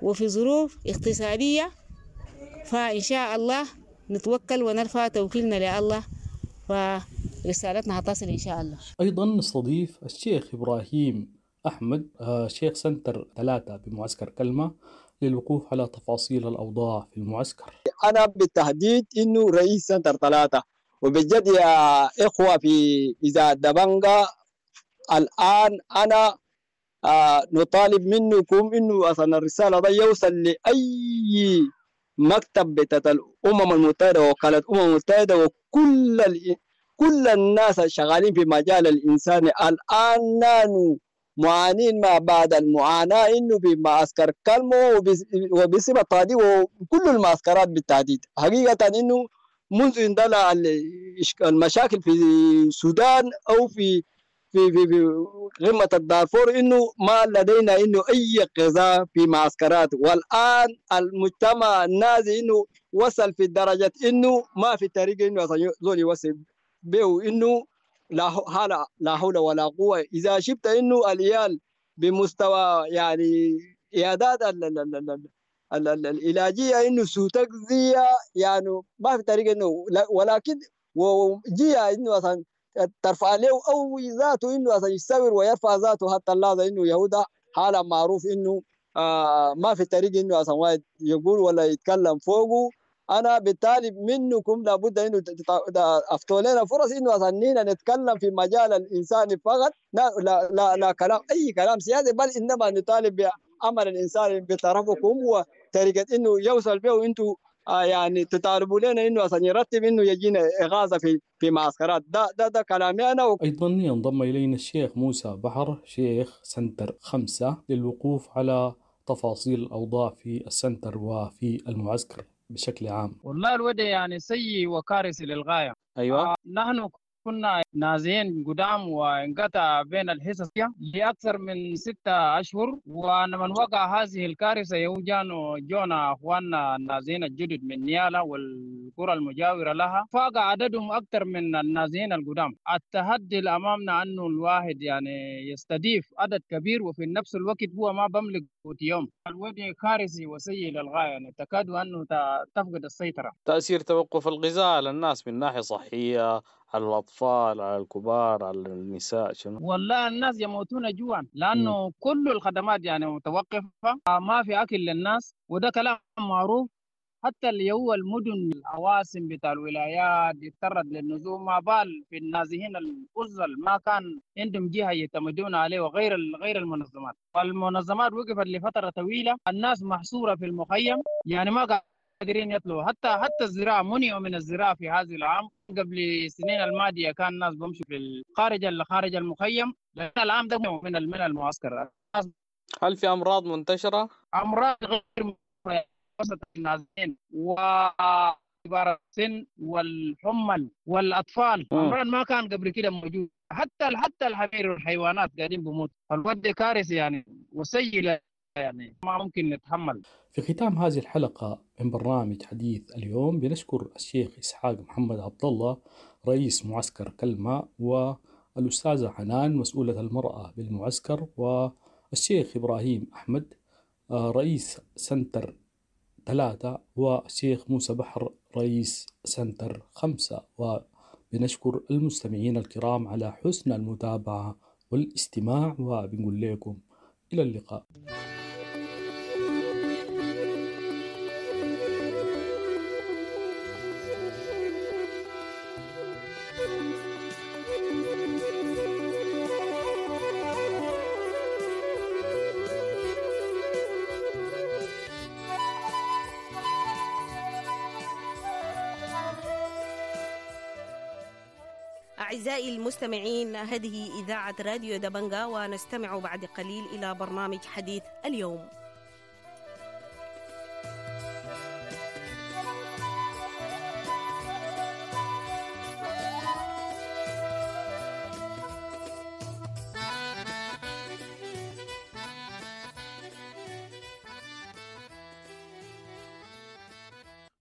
Speaker 11: وفي ظروف اقتصادية. فإن شاء الله نتوكل ونرفع توكيلنا لله، فرسالتنا هتصل إن شاء الله.
Speaker 9: أيضا نستضيف الشيخ إبراهيم أحمد، شيخ سنتر ثلاثة بمعسكر كلمة، للوقوف على تفاصيل الأوضاع في المعسكر.
Speaker 12: أنا بالتحديد إنه رئيس سنتر ثلاثة، وبجد يا إخوة في إذا دبنجا الآن أنا آه نطالب منكم إنه أصلا الرسالة ده يوصل لأي مكتب بتاعت الأمم المتحدة ووكالة الأمم المتحدة وكل ال... كل الناس الشغالين في مجال الإنسان. الآن نحن معانين ما بعد المعاناة إنه في معسكر كلمو وبصفة طادي وكل المعسكرات بالتحديد. حقيقة إنه منذ اندلع المشاكل في السودان أو في في في في قمة الدارفور إنه ما لدينا إنه أي غذاء في معسكرات، والآن المجتمع النازي إنه وصل في درجة إنه ما في طريقة إنه زول يوصل به إنه لا حول لا حول ولا قوة. إذا شفت إنه العيال بمستوى يعني عيادات العلاجية إنه سوء تغذية، يعني ما في طريقة إنه، ولكن وجيه إنه أصلا ترفع له أو ذاته إنه أصلا يستور ويرفع ذاته حتى اللحظة إنه يهودا حالة معروف إنه آه ما في طريق إنه أصلا واحد يقول ولا يتكلم فوقه. أنا بالتالي منكم لابد إنه أفتوا لنا فرص إنه أصلا نتكلم في مجال الإنساني فقط، لا لا لا, لا كلام أي كلام سياسي، بل إنما نطالب بعمل الإنسان بطرفكم وطريقة إنه يوصل به أنتم آه يعني تطالبوا لنا إنه أصلا يرتب إنه يجينا إغاثة في في معسكرات. ده ده ده كلامي أنا. و...
Speaker 9: أيضا ينضم إلينا الشيخ موسى بحر، شيخ سنتر خمسة، للوقوف على تفاصيل الأوضاع في السنتر وفي المعسكر بشكل عام.
Speaker 13: والله الوضع يعني سيء وكارثي للغاية.
Speaker 10: أيوة.
Speaker 13: آه نحن كنا نازعين قدام وانقطع بين الحصص لأكثر من ستة أشهر، ولمن وقع هذه الكارثة يوجانوا جونا أخواننا النازعين الجدد من نيالا والقرى المجاورة لها، فاق عددهم أكثر من النازعين القدام. التحدي اللي أمامنا أنه الواحد يعني يستضيف عدد كبير وفي نفس الوقت هو ما بملك قوت يوم. الوضع كارثي وسيء للغاية، يعني تكاد أنه تفقد السيطرة.
Speaker 14: تأثير توقف الغذاء على الناس من ناحية صحية، على الأطفال، على الكبار، على النساء، شنو؟
Speaker 13: والله الناس يموتون جوعا لأنه م. كل الخدمات يعني متوقفة، ما في أكل للناس، وده كلام معروف. حتى اللي هو المدن العواصم بتاع الولايات يتطرد للنزوح، ما بال في النازحين الأزل ما كان عندهم جهة يعتمدون عليه وغير غير المنظمات. والمنظمات وقفت لفترة طويلة، الناس محصورة في المخيم، يعني ما قادرين يطلعوا. حتى حتى الزراعة منعوا من الزراعة في هذا العام. قبل السنين الماضية كان الناس بمشوا في الخارج خارج المخيم، لكن العام ده من من المعسكر.
Speaker 14: هل في أمراض منتشرة؟
Speaker 13: أمراض غير وسط النازحين وكبار السن والحمل والأطفال، أمراض ما كان قبل كده موجود. حتى حتى الحمير والحيوانات قاعدين بموت. الوضع كارثي يعني وسيء، يعني ما ممكن نتحمل.
Speaker 9: في ختام هذه الحلقة من برنامج حديث اليوم بنشكر الشيخ إسحاق محمد عبد الله رئيس معسكر كلمة، والأستاذة حنان مسؤولة المرأة بالمعسكر، والشيخ إبراهيم أحمد رئيس سنتر ثلاثة، والشيخ موسى بحر رئيس سنتر خمسة. وبنشكر المستمعين الكرام على حسن المتابعة والاستماع، وبنقول لكم إلى اللقاء.
Speaker 8: أعزائي المستمعين، هذه إذاعة راديو دبنجا، ونستمع بعد قليل إلى برنامج حديث اليوم.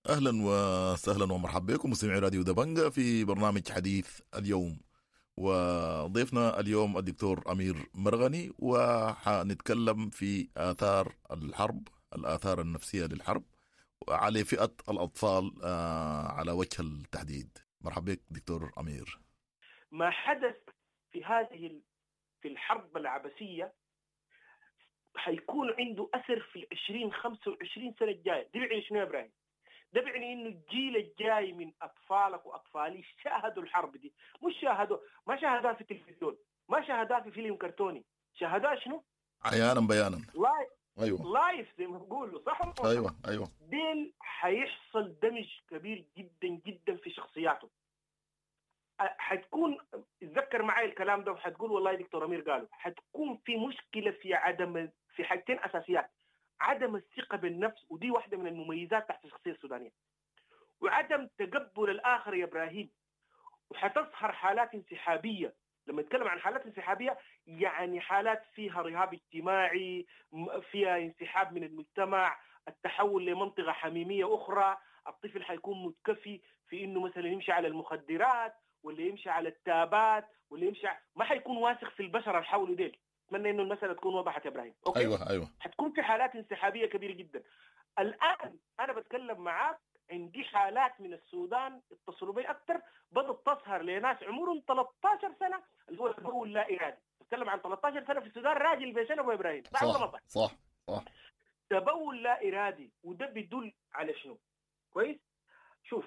Speaker 15: اهلا وسهلا ومرحبا بكم مستمعي راديو دبنجة في برنامج حديث اليوم، وضيفنا اليوم الدكتور امير مرغني، وحنتكلم في اثار الحرب، الاثار النفسية للحرب على فئة الاطفال على وجه التحديد. مرحبا بك دكتور امير.
Speaker 16: ما حدث في هذه في الحرب العبثيه حيكون عنده اثر في العشرين خمسة وعشرين سنة الجاية. دي بيعني شنو يا ابراهيم؟ ده بيعني انه الجيل الجاي من اطفالك واطفالي شاهدوا الحرب دي، مش شاهدوا، ما شاهدوها في التلفزيون، ما شاهدوها في فيلم كرتوني، شاهدوها شنو؟
Speaker 15: عيانا بيانا،
Speaker 16: live.
Speaker 15: ايوه
Speaker 16: live زي ما بيقولوا، صح ولا؟
Speaker 15: ايوه ايوه.
Speaker 16: ديل حيحصل دمج كبير جدا جدا في شخصياتهم. حتكون، اتذكر معي الكلام ده وحتقول والله دكتور امير قالوا، حتكون في مشكلة في عدم، في حاجتين اساسيات: عدم الثقة بالنفس، ودي واحدة من المميزات تحت الشخصية السودانية، وعدم تقبل الاخر يا ابراهيم. وحتظهر حالات انسحابيه. لما نتكلم عن حالات انسحابيه يعني حالات فيها رهاب اجتماعي، فيها انسحاب من المجتمع، التحول لمنطقه حميمية اخرى، الطفل حيكون متكفي في انه مثلا يمشي على المخدرات ولا يمشي على التابات ولا يمشي، ما حيكون واثق في البشر اللي حوله ديل. اتمنى انه المسالة تكون وضحت يا ابراهيم. okay؟
Speaker 15: ايوه ايوه.
Speaker 16: حتكون في حالات انسحابيه كبيرة جدا. الان انا بتكلم معاك عندي حالات من السودان اتصلوا بي اكثر، بدات تظهر لناس عمرهم ثلاثة عشر سنة، اللي هو التبول لا ارادي. بتكلم عن ثلاثة عشر سنة في السودان، راجل بسنة ابو ابراهيم.
Speaker 15: صح صح صح, صح.
Speaker 16: تبول لا ارادي، وده بيدل على شنو؟ كويس؟ شوف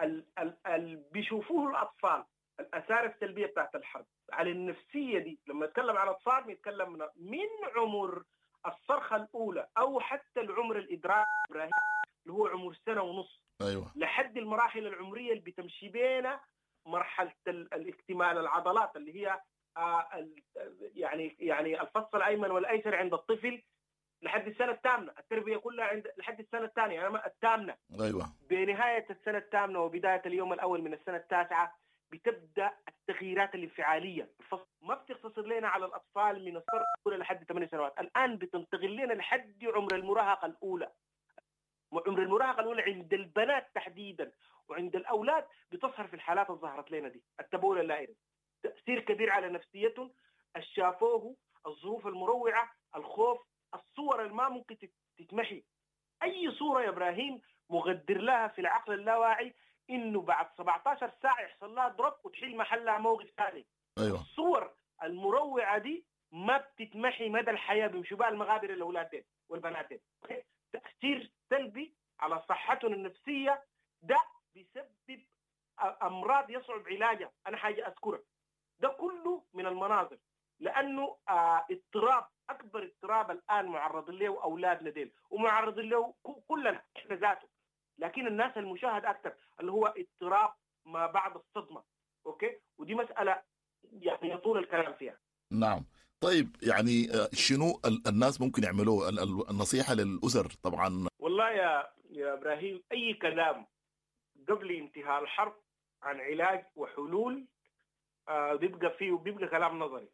Speaker 16: ال ال ال بيشوفوه الاطفال، الاثار السلبية بتاعت الحرب على النفسية دي. لما نتكلم عن اطفال بنتكلم من, من عمر الصرخة الاولى او حتى العمر الادراك ابراهيم اللي هو عمر سنة ونص،
Speaker 15: ايوه،
Speaker 16: لحد المراحل العمرية اللي بتمشي بينا مرحلة الاكتمال العضلات اللي هي آه يعني يعني الفص الايمن والايسر عند الطفل لحد السنة الثامنة، التربية كلها عند لحد السنة الثانية، يعني الثامنة.
Speaker 15: ايوه.
Speaker 16: بنهاية السنة الثامنة وبداية اليوم الاول من السنة التاسعة بتبدا التغييرات الانفعاليه. الفصل ما بتقتصر لنا على الاطفال من الصرخة الاولى لحد ثمان سنوات، الان بتنتقل لنا لحد عمر المراهقة الاولى. عمر المراهقة الاولى عند البنات تحديدا وعند الاولاد بتظهر في الحالات اللي ظهرت لنا دي، التبول اللا ارادي، تاثير كبير على نفسيتهم، الشافوه، الظروف المروعه، الخوف، الصور اللي ما ممكن تتمحي. اي صوره يا ابراهيم مغدر لها في العقل اللاواعي انه بعد سبعة عشر ساعة يحصل لها drop وتحل محلها موقف ثاني.
Speaker 15: ايوه.
Speaker 16: الصور المروعه دي ما بتتمحي مدى الحياة، بيمشوا بها المغابر الاولاد والبنات. تاثير سلبي على صحتهم النفسية، ده بيسبب امراض يصعب علاجها. انا حاجة اذكرها، ده كله من المناظر، لانه آه اضطراب، اكبر اضطراب الان معرضين له اولادنا ديل ومعرضين له كلنا احنا ذاته، لكن الناس المشاهد اكثر، اللي هو اضطراب ما بعد الصدمة. okay، ودي مسالة يعني يطول الكلام فيها.
Speaker 15: نعم. طيب يعني شنو الناس ممكن يعملوه؟ النصيحة للاسر طبعا.
Speaker 16: والله يا يا ابراهيم، اي كلام قبل انتهاء الحرب عن علاج وحلول آه بيبقى فيه بيبقى كلام نظري،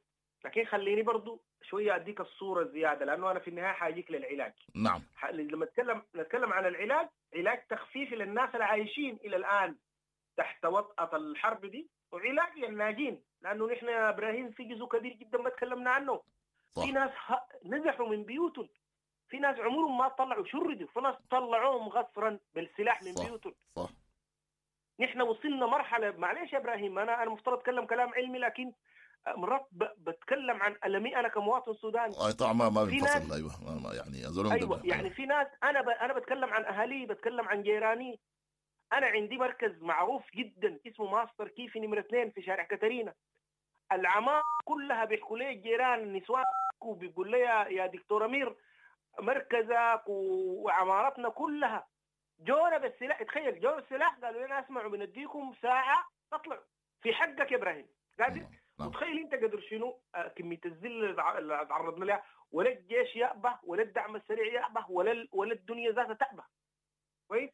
Speaker 16: لكن خليني برضو شوية اديك الصورة زيادة، لانه انا في النهاية حاجيك للعلاج.
Speaker 15: نعم.
Speaker 16: لما نتكلم نتكلم عن العلاج، علاج تخفيفي للناس اللي عايشين الى الان تحت وطأة الحرب دي، وعلاج للناجين، لانه نحن يا ابراهيم في جزء كبير جدا ما تكلمنا عنه.
Speaker 15: صح.
Speaker 16: في ناس نزحوا من بيوتهم، في ناس عمرهم ما طلعوا، شردوا، في ناس طلعوهم غصرا بالسلاح من
Speaker 15: صح.
Speaker 16: بيوتهم.
Speaker 15: صح.
Speaker 16: نحن وصلنا مرحلة، معلش يا ابراهيم انا انا مفترض اتكلم كلام علمي، لكن مرات بتكلم عن ألمي انا كمواطن سوداني.
Speaker 15: اي طبعا ما ما بينفصل. ايوه ما يعني أزولهم.
Speaker 16: ايوه يعني في ناس انا ب... انا بتكلم عن اهالي، بتكلم عن جيراني. انا عندي مركز معروف جدا اسمه ماستر كيفي نمره اثنين في شارع كاترينا. العمارة كلها بيحكوا لي الجيران النسوان، وبيقول لي يا دكتور امير مركزك وعمارتنا كلها جونا بالسلاح. تخيل جونا بالسلاح، قالوا لنا اسمعوا بنديكم ساعة تطلعوا في حقك يا ابراهيم. قادر؟ وتخيل انت قدر شنو كمية الذل اللي تعرضنا لها. ولا الجيش يأبه، ولا الدعم السريع يأبه، ولا ولا الدنيا ذاتها تأبه. كويس؟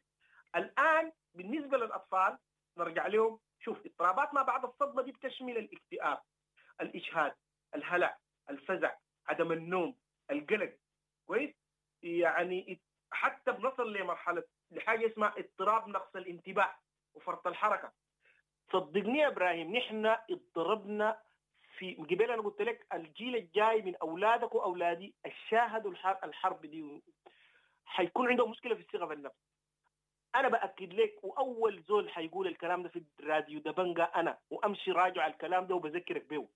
Speaker 16: الان بالنسبة للاطفال نرجع لهم. شوف اضطرابات ما بعد الصدمة دي بتشمل الاكتئاب، الاجهاد، الهلع، الفزع، عدم النوم، القلق. كويس؟ يعني حتى بنصل لمرحلة لحاجة اسمها اضطراب نقص الانتباه وفرط الحركة. صدقني يا ابراهيم نحن اضطربنا في قبل، انا قلت لك الجيل الجاي من اولادك واولادي الشاهدوا الحرب دي حيكون عندهم مشكلة في الثقة في النفس. انا باكد لك، واول زول حيقول الكلام ده في الراديو دبنجا انا، وامشي راجع الكلام ده وبذكرك بيه.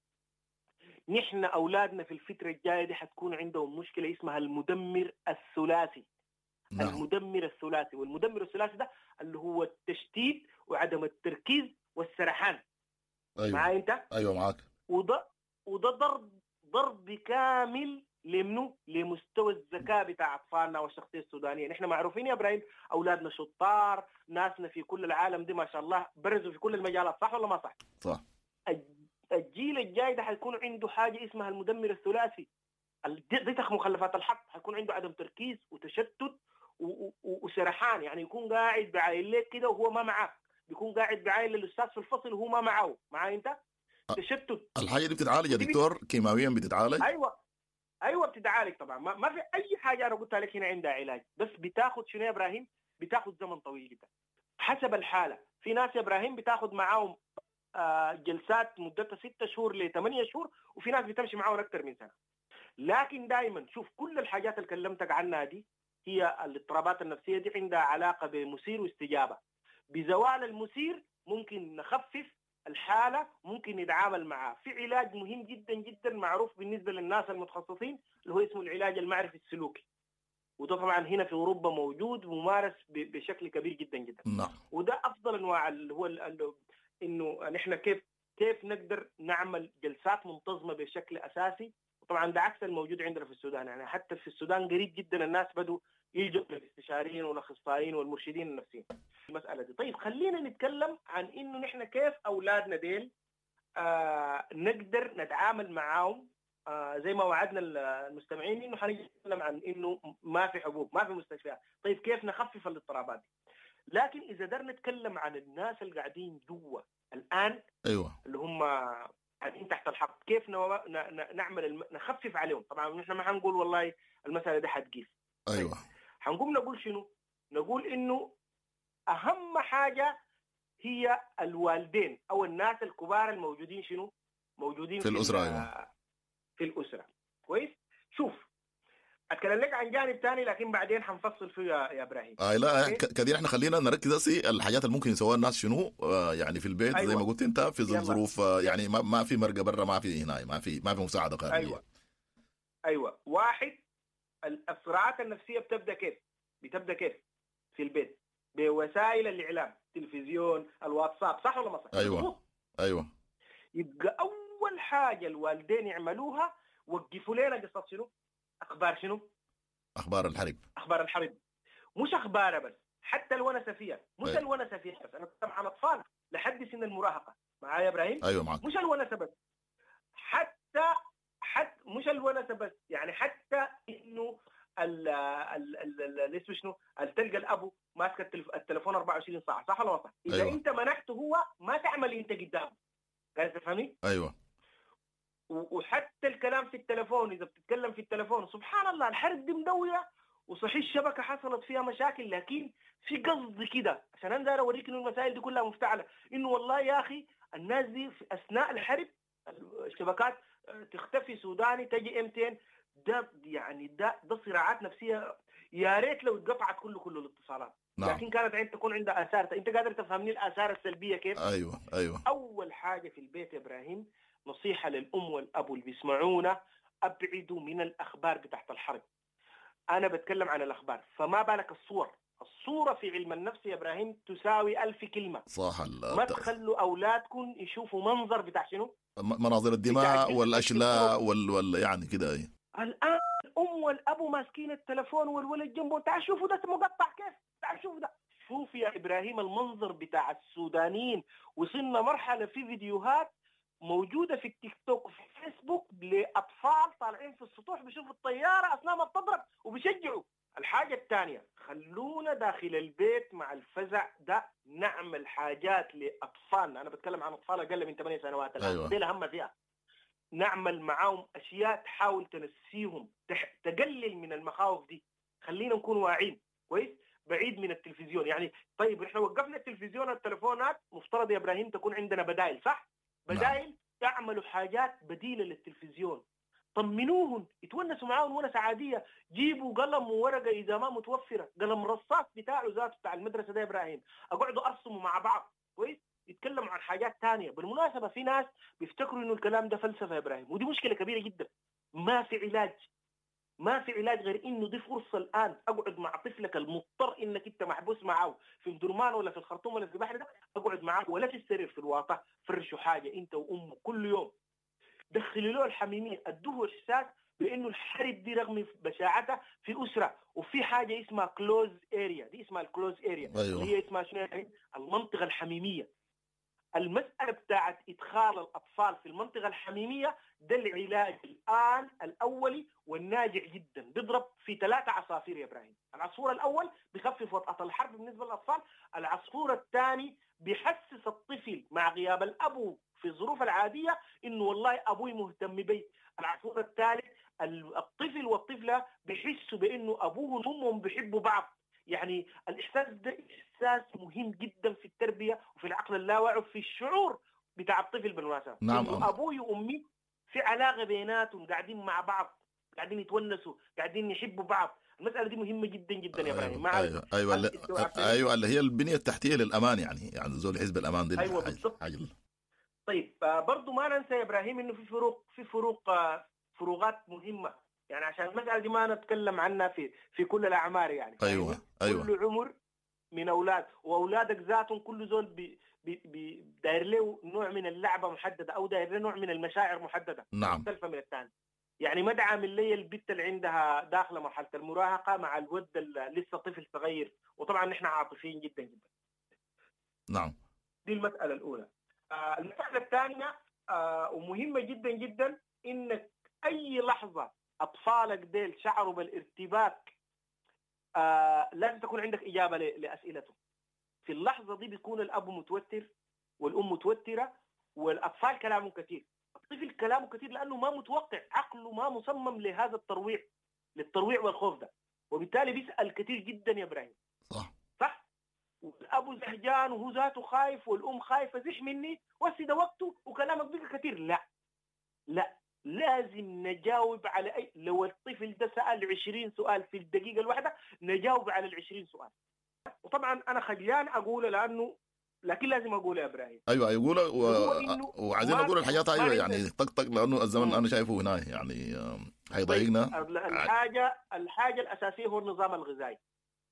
Speaker 16: نحن اولادنا في الفترة الجاية دي حتكون عندهم مشكلة اسمها المدمر الثلاثي. نعم. المدمر الثلاثي، والمدمر الثلاثي ده اللي هو التشتيت وعدم التركيز والسرحان.
Speaker 15: ايوه
Speaker 16: معاي انت؟
Speaker 15: ايوه معاك.
Speaker 16: وده وده ضرب ضرب كامل لمنو؟ لمستوى الذكاء بتاع اطفالنا والشخصية السودانية. نحن معروفين يا ابراهيم اولادنا شطار، ناسنا في كل العالم دي ما شاء الله برزوا في كل المجالات، صح ولا ما صح؟
Speaker 15: صح.
Speaker 16: الجيل الجاي ده حيكون عنده حاجة اسمها المدمر الثلاثي، دي مخلفات الحرب، حيكون عنده عدم تركيز وتشتت وسرحان، يعني يكون قاعد بعاين لك كده وهو ما معاك، بيكون قاعد بعاين للاستاذ في الفصل وهو ما معاه، معاي انت؟ تشتت.
Speaker 15: الحاجة دي بتتعالج يا دكتور كيماويا؟ بتتعالج؟
Speaker 16: ايوه ايوه بتتعالج طبعا، ما, ما في اي حاجة انا قلتها لك هنا عندها علاج، بس بتاخذ شنو يا ابراهيم؟ بتاخذ زمن طويل جدا حسب الحالة. في ناس يا ابراهيم بتاخذ معاهم آه جلسات مدتها ستة شهور لثمانية شهور، وفي ناس بتمشي معاهم اكثر من سنة. لكن دائما شوف كل الحاجات اللي كلمتك عنها دي هي الاضطرابات النفسية دي عندها علاقة بمثير واستجابه. بزوال المثير ممكن نخفف الحالة، ممكن نتعامل معها. في علاج مهم جدا جدا معروف بالنسبة للناس المتخصصين اللي هو اسمه العلاج المعرفي السلوكي، وده طبعا هنا في اوروبا موجود وممارس بشكل كبير جدا جدا.
Speaker 15: نعم.
Speaker 16: وده افضل انواع اللي هو انه نحن كيف كيف نقدر نعمل جلسات منتظمة بشكل اساسي. وطبعا ده عكس الموجود عندنا في السودان، يعني حتى في السودان قريب جدا الناس بدوا يلجؤوا للاستشاريين والاخصائيين والمرشدين النفسيين المسالة دي. طيب خلينا نتكلم عن انه نحن كيف اولادنا ديل آه نقدر نتعامل معاهم، آه زي ما وعدنا المستمعين انه حنتكلم عن انه ما في حبوب، ما في مستشفيات. طيب كيف نخفف الاضطرابات دي؟ لكن اذا قدرنا نتكلم عن الناس اللي قاعدين جوا الان،
Speaker 15: ايوه
Speaker 16: اللي هم قاعدين تحت الحرب، كيف نو... ن... نعمل الم... نخفف عليهم. طبعا نحن ما حنقول والله المسالة دي حتقيف،
Speaker 15: ايوه
Speaker 16: حنقوم نقول شنو؟ نقول انه اهم حاجة هي الوالدين او الناس الكبار الموجودين شنو؟ موجودين
Speaker 15: في الاسرة. ايوه
Speaker 16: في الاسرة. كويس؟ شوف اتكلم لك عن جانب ثاني لكن بعدين حنفصل فيه يا, يا ابراهيم.
Speaker 15: آه لا كده احنا خلينا نركز هسي الحاجات اللي ممكن يسووها الناس شنو آه يعني في البيت. أيوة. زي ما قلت انت في ظروف آه يعني ما, ما في مرقه برا، ما في هنا، ما في ما في مساعدة خارجية.
Speaker 16: ايوه ايوه واحد، الصراعات النفسية بتبدا كيف؟ بتبدا كيف؟ في البيت بوسائل الاعلام، التلفزيون، الواتساب، صح ولا ما صح؟
Speaker 15: ايوه ايوه.
Speaker 16: يبقى اول حاجة الوالدين يعملوها وقفوا لنا قصة شنو؟ اخبار شنو؟
Speaker 15: اخبار الحرب.
Speaker 16: اخبار الحرب، مش اخبارها بس، حتى الونسه فيها، مش أيوة. الونسه فيها بس، انا بتكلم عن اطفال لحد سن المراهقة، معايا يا ابراهيم؟
Speaker 15: ايوه معاك.
Speaker 16: مش الونسه بس، حتى حتى مش الونسه بس، يعني حتى انه ال ال ال اسمه شنو؟ تلقى الابو ماسك التليفون أربعة وعشرين ساعة، صح ولا ما صح؟ اذا
Speaker 15: أيوة.
Speaker 16: انت منحته هو ما تعمل انت قدامه. قاعد تفهمني؟
Speaker 15: ايوه.
Speaker 16: وحتى الكلام في التلفون، اذا بتتكلم في التلفون سبحان الله الحرب دي مدويه، وصحيح الشبكة حصلت فيها مشاكل، لكن في قصد كده عشان انا داير اوريك انه المسائل دي كلها مفتعله، انه والله يا اخي الناس دي في اثناء الحرب الشبكات تختفي، سوداني تجي ام تي ان، ده يعني ده ده صراعات نفسية يا ريت لو اتقطعت كله كله الاتصالات.
Speaker 15: نعم.
Speaker 16: لكن كانت عند تكون عندها اثار. انت قادر تفهمني الاثار السلبية كيف؟
Speaker 15: ايوه ايوه.
Speaker 16: اول حاجة في البيت يا ابراهيم، نصيحة للام والاب اللي بيسمعونا، ابعدوا من الاخبار بتاعت الحرب. انا بتكلم عن الاخبار، فما بالك الصور. الصورة في علم النفس يا ابراهيم تساوي ألف كلمة.
Speaker 15: صح.
Speaker 16: ما تخلوا اولادكم يشوفوا منظر بتاع شنو؟
Speaker 15: مناظر الدماء والاشلاء وال, وال... يعني كده. ايه
Speaker 16: الان الام والاب ماسكين التلفون والولد جنبه، تعال شوفوا ده مقطع كيف، تعال شوفوا ده. شوف يا ابراهيم المنظر بتاع السودانيين، وصلنا مرحلة في فيديوهات موجودة في التيك توك وفي الفيسبوك لاطفال طالعين في السطوح بيشوفوا الطيارة اثناء ما بتضرب وبيشجعوا. الحاجة الثانية، خلونا داخل البيت مع الفزع ده نعمل حاجات لاطفالنا. انا بتكلم عن اطفال اقل من ثمانية سنوات الان.
Speaker 15: أيوة.
Speaker 16: دي اهم فئة. نعمل معاهم اشياء تحاول تنسيهم، تح... تقلل من المخاوف دي. خلينا نكون واعيين كويس. بعيد من التلفزيون. يعني طيب احنا وقفنا التلفزيون والتلفونات، مفترض يا ابراهيم تكون عندنا بدائل، صح؟ بدائل تعملوا حاجات بديله للتلفزيون، طمنوهن، يتونسوا معاهم ونسة عادية، جيبوا قلم وورقة اذا ما متوفرة، قلم رصاص بتاعه ذاته بتاع المدرسة ده يا ابراهيم، اقعدوا ارسموا مع بعض، كويس؟ يتكلموا عن حاجات ثانية. بالمناسبة في ناس بيفتكروا انه الكلام ده فلسفة يا ابراهيم، ودي مشكلة كبيرة جدا. ما في علاج، ما في علاج غير انه دي فرصة الان اقعد مع طفلك المضطر انك انت محبوس معاه في مدرمان ولا في الخرطوم ولا في البحر ده، اقعد معاه ولا في السرير في الواطه، فرشوا حاجة انت وامه كل يوم، دخلوا له الحميمية، ادوه احساس بانه الحرب دي رغم بشاعتها في اسره، وفي حاجة اسمها close area، دي اسمها ال close area.
Speaker 15: أيوة.
Speaker 16: اللي هي اسمها شنو يعني؟ المنطقة الحميمية. المسألة بتاعت إدخال الأطفال في المنطقة الحميمية ده العلاج الآن الأولي والناجع جدا، بيضرب في ثلاثة عصافير يا إبراهيم. العصفور الأول بخفف وطأة الحرب بالنسبة للأطفال، العصفور الثاني بيحسس الطفل مع غياب الأب في الظروف العادية إنه والله أبوي مهتم بي. العصفور الثالث الطفل والطفلة بيحسوا بإنه أبوهم وأمهم بيحبوا بعض. يعني الإحساس ده إحساس مهم جدا في التربية وفي العقل اللاواعي وفي الشعور بتاع الطفل بالمناسبة.
Speaker 15: نعم.
Speaker 16: أبوي وأمي في علاقة بيناتهم، قاعدين مع بعض، قاعدين يتونسوا، قاعدين يحبوا بعض. المسألة دي مهمة جدا جدا يا إبراهيم.
Speaker 15: أيوة أيوة أيوة, أيوة, أيوة اللي هي البنية التحتية للأمان، يعني يعني زول حزب الأمان دي.
Speaker 16: أيوة بالضبط. طيب برضو ما ننسى يا إبراهيم إنه في فروق، في فروق فروقات مهمة، يعني عشان المسألة دي ما نتكلم عنها في في كل الأعمار يعني.
Speaker 15: أيوة أيوة.
Speaker 16: كل عمر من أولاد، وأولادك ذاتهم كل زول بي بي بي داير له نوع من اللعبة محددة أو داير له نوع من المشاعر محددة.
Speaker 15: نعم.
Speaker 16: مختلفة من الثاني. يعني ما دعم لي البت اللي عندها داخلة مرحلة المراهقة مع الود اللي لسه طفل صغير، وطبعا نحن عاطفيين جدا جدا.
Speaker 15: نعم.
Speaker 16: دي المسألة الأولى. آه المسألة الثانية آه ومهمة جدا جدا، إنك أي لحظة أطفالك ديل شعروا بالارتباك آه لازم تكون عندك إجابة لأسئلتهم. في اللحظة دي بيكون الأب متوتر والأم متوترة والأطفال كلامهم كثير. الطفل كلامه كثير لأنه ما متوقع، عقله ما مصمم لهذا الترويع، للترويع والخوف ده، وبالتالي بيسأل كثير جدا يا إبراهيم.
Speaker 15: صح
Speaker 16: صح. والأب زهجان وهو ذاته خايف والأم خايفة، زح مني وسي ده وقته وكلامك بقى كثير. لا لا، لازم نجاوب على أي، لو الطفل ده سأل عشرين سؤال في الدقيقة الواحدة نجاوب على العشرين سؤال. وطبعا أنا خجلان أقوله لأنه، لكن لازم أقوله يا إبراهيم.
Speaker 15: أيوة أقوله و... وعايزين أقول الحاجات. أيوة يعني طق طق لأنه الزمن أنا شايفه هنا يعني هيضايقنا.
Speaker 16: الحاجة الحاجة الأساسية هو النظام الغذائي.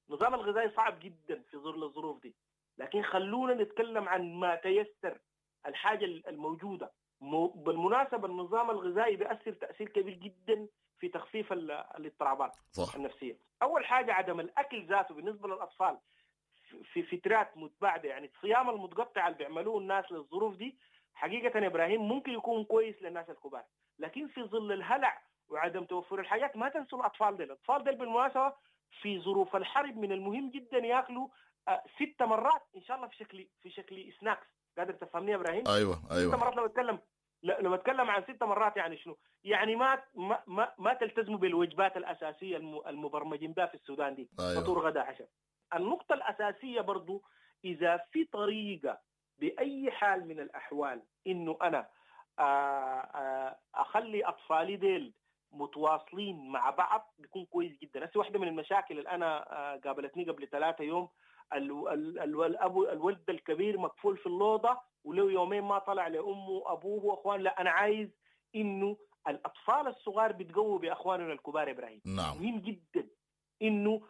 Speaker 16: النظام الغذائي صعب جدا في ظل الظروف دي، لكن خلونا نتكلم عن ما تيسر، الحاجة الموجودة. بالمناسبة النظام الغذائي بيأثر تأثير كبير جدا في تخفيف الاضطرابات
Speaker 15: صح.
Speaker 16: النفسية. أول حاجة عدم الأكل ذاته بالنسبة للأطفال في فترات متباعدة، يعني الصيام المتقطع اللي بيعملوه الناس للظروف دي حقيقة يا إبراهيم ممكن يكون كويس للناس الكبار، لكن في ظل الهلع وعدم توفر الحاجات ما تنسوا الأطفال ديل. الأطفال ديل بالمناسبة في ظروف الحرب من المهم جدا ياكلوا ست مرات إن شاء الله في شكل في شكل سناكس. قادر تفهمني يا ابراهيم؟
Speaker 15: ايوه ايوه.
Speaker 16: ست مرات لو اتكلم لو اتكلم عن ست مرات يعني شنو؟ يعني ما ما ما, ما تلتزموا بالوجبات الاساسية المبرمجين بها في السودان دي.
Speaker 15: أيوة.
Speaker 16: فطور غدا عشاء. النقطة الاساسية برضو اذا في طريقه باي حال من الاحوال انه انا اخلي اطفالي ديل متواصلين مع بعض بيكون كويس جدا. هسه واحدة من المشاكل اللي انا قابلتني قبل ثلاثة يوم، الاب الولد الكبير مكفول في اللوضه ولو يومين ما طلع لامه وابوه واخوان. لا، انا عايز انه الاطفال الصغار بيتقووا باخواننا الكبار يا ابراهيم.
Speaker 15: نعم.
Speaker 16: مهم جدا انه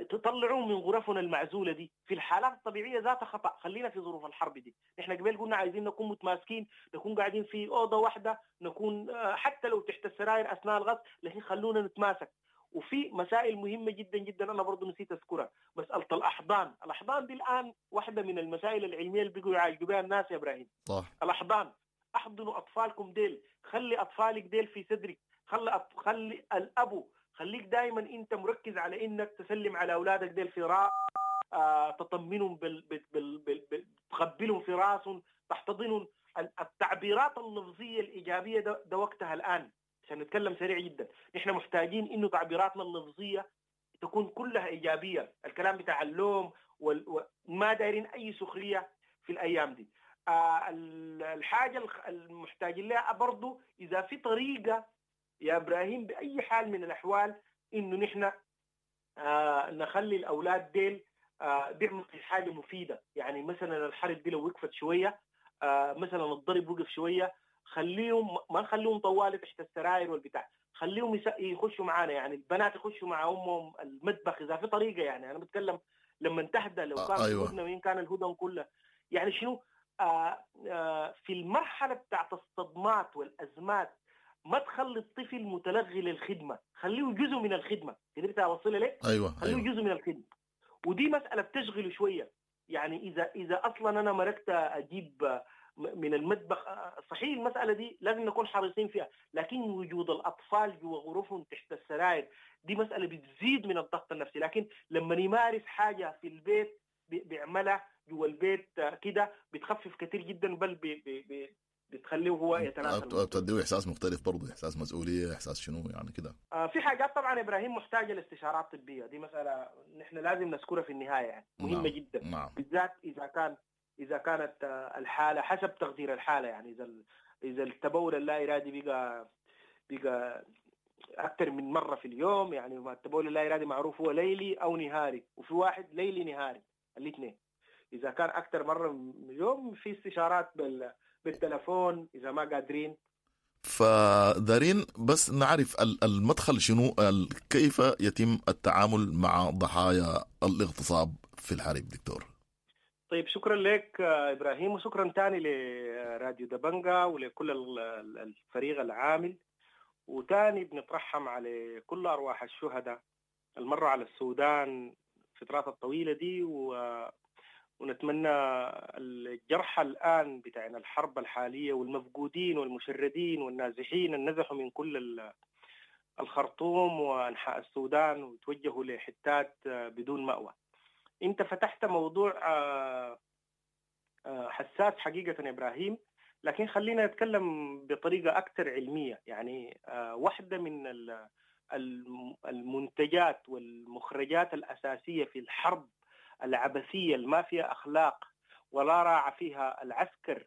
Speaker 16: تطلعوا من غرفنا المعزوله دي في الحالات الطبيعية ذات خطا. خلينا في ظروف الحرب دي، نحن قبل قلنا عايزين نكون متماسكين، نكون قاعدين في اوضة واحدة، نكون حتى لو تحت السراير اثناء الغصب، لكن خلونا نتماسك. وفي مسائل مهمة جدا جدا أنا برضو نسيت أذكرها، مسألة الأحضان. الأحضان دي الآن واحدة من المسائل العلمية اللي بيقوا يعالجوا بها الناس يا إبراهيم.
Speaker 15: صح.
Speaker 16: الأحضان، أحضنوا أطفالكم ديل، خلي أطفالك ديل في صدرك، خلي أط... خلي الأبو، خليك دائما أنت مركز على إنك تسلم على أولادك ديل في رأس، آه، تطمنهم بال... بال... بال... بال... بال... تقبلهم في راسهم، تحتضنهم. التعبيرات اللفظية الإيجابية ده, ده وقتها الآن. عشان نتكلم سريع جدا، نحن محتاجين انه تعبيراتنا اللفظية تكون كلها ايجابية، الكلام بتاع اللوم وما دايرين اي سخرية في الايام دي. آه الحاجة المحتاجين لها برضو اذا في طريقه يا ابراهيم باي حال من الاحوال انه نحن آه نخلي الاولاد ديل آه بيعملوا حاجة مفيدة. يعني مثلا الحرب دي لو وقفت شوية، آه مثلا الضرب وقف شوية، خليهم ما نخليهم طوالي تحت السراير والبتاع، خليهم يخشوا معانا، يعني البنات يخشوا مع امهم المطبخ اذا في طريقه. يعني انا بتكلم لما تهدى، لو كان
Speaker 15: أيوة.
Speaker 16: الهدنة وين كان الهدن كلها، يعني شنو آه آه في المرحلة بتاعت الصدمات والازمات ما تخلي الطفل متلغي للخدمة، خليه جزء من الخدمة. قدرت اوصلها لك؟
Speaker 15: ايوه
Speaker 16: خليه
Speaker 15: أيوة.
Speaker 16: جزء من الخدمة، ودي مسالة بتشغله شوية. يعني اذا اذا اصلا انا مركت اجيب من المطبخ، صحيح المسالة دي لازم نكون حريصين فيها، لكن وجود الاطفال جوا غرفهم تحت السراير دي مسالة بتزيد من الضغط النفسي. لكن لما يمارس حاجة في البيت بيعملها جوا البيت كده بتخفف كثير جدا، بل بي بي بتخليه هو يتناسل،
Speaker 15: بتديه احساس مختلف برضه، احساس مسؤولية، احساس شنو يعني كده.
Speaker 16: آه في حاجات طبعا ابراهيم محتاجه لاستشارات طبية، دي مسالة نحن لازم نذكرها في النهاية، يعني مهمة
Speaker 15: نعم.
Speaker 16: جدا.
Speaker 15: نعم.
Speaker 16: بالذات اذا كان اذا كانت الحالة حسب تقدير الحالة، يعني اذا اذا التبول اللا ارادي بقى بقى اكثر من مرة في اليوم. يعني التبول اللا ارادي معروف هو ليلي او نهاري، وفي واحد ليلي نهاري الاثنين. اذا كان اكثر مرة من اليوم في استشارات بال بالتلفون اذا ما قادرين.
Speaker 15: فدارين بس نعرف المدخل شنو، كيف يتم التعامل مع ضحايا الاغتصاب في الحرب دكتور؟
Speaker 16: طيب شكرا لك ابراهيم، وشكرا تاني لراديو دبنجا ولكل الفريق العامل. وتاني بنترحم على كل ارواح الشهداء المرة على السودان الفترات الطويلة دي، و ونتمنى الجرحى الآن بتاعنا الحرب الحالية والمفقودين والمشردين والنازحين النزحوا من كل الخرطوم وأنحاء السودان وتوجهوا لحتات بدون مأوى. أنت فتحت موضوع حساس حقيقة إبراهيم، لكن خلينا نتكلم بطريقة أكثر علمية. يعني واحدة من المنتجات والمخرجات الأساسية في الحرب العبثية ما فيها أخلاق ولا راعى فيها العسكر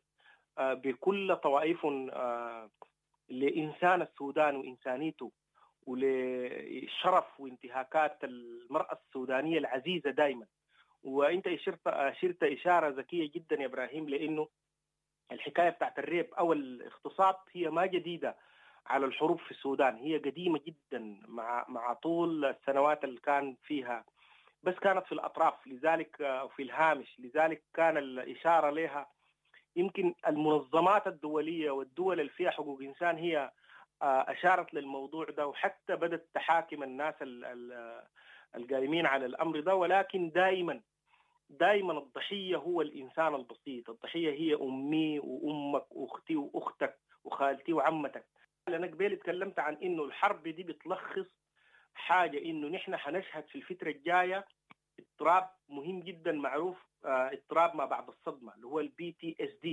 Speaker 16: بكل طوائف لإنسان السودان وإنسانيته ولشرف وانتهاكات المرأة السودانية العزيزة دائما. وإنت أشرت أشرت إشارة ذكية جدا يا إبراهيم، لأنه الحكاية بتاعت الريب أو الاغتصاب هي ما جديدة على الحروب في السودان، هي قديمة جدا مع مع طول السنوات اللي كان فيها، بس كانت في الأطراف لذلك في الهامش، لذلك كان الإشارة لها يمكن المنظمات الدولية والدول اللي فيها حقوق إنسان هي أشارت للموضوع ده، وحتى بدأت تحاكم الناس القائمين على الأمر ده. ولكن دائما دائما الضحية هو الإنسان البسيط، الضحية هي أمي وأمك وأختي وأختك وخالتي وعمتك. أنا قبل تكلمت عن إنه الحرب دي بتلخص حاجة، إنه نحن حنشهد في الفترة الجاية اضطراب مهم جدا معروف، اضطراب ما بعد الصدمة اللي هو ال PTSD،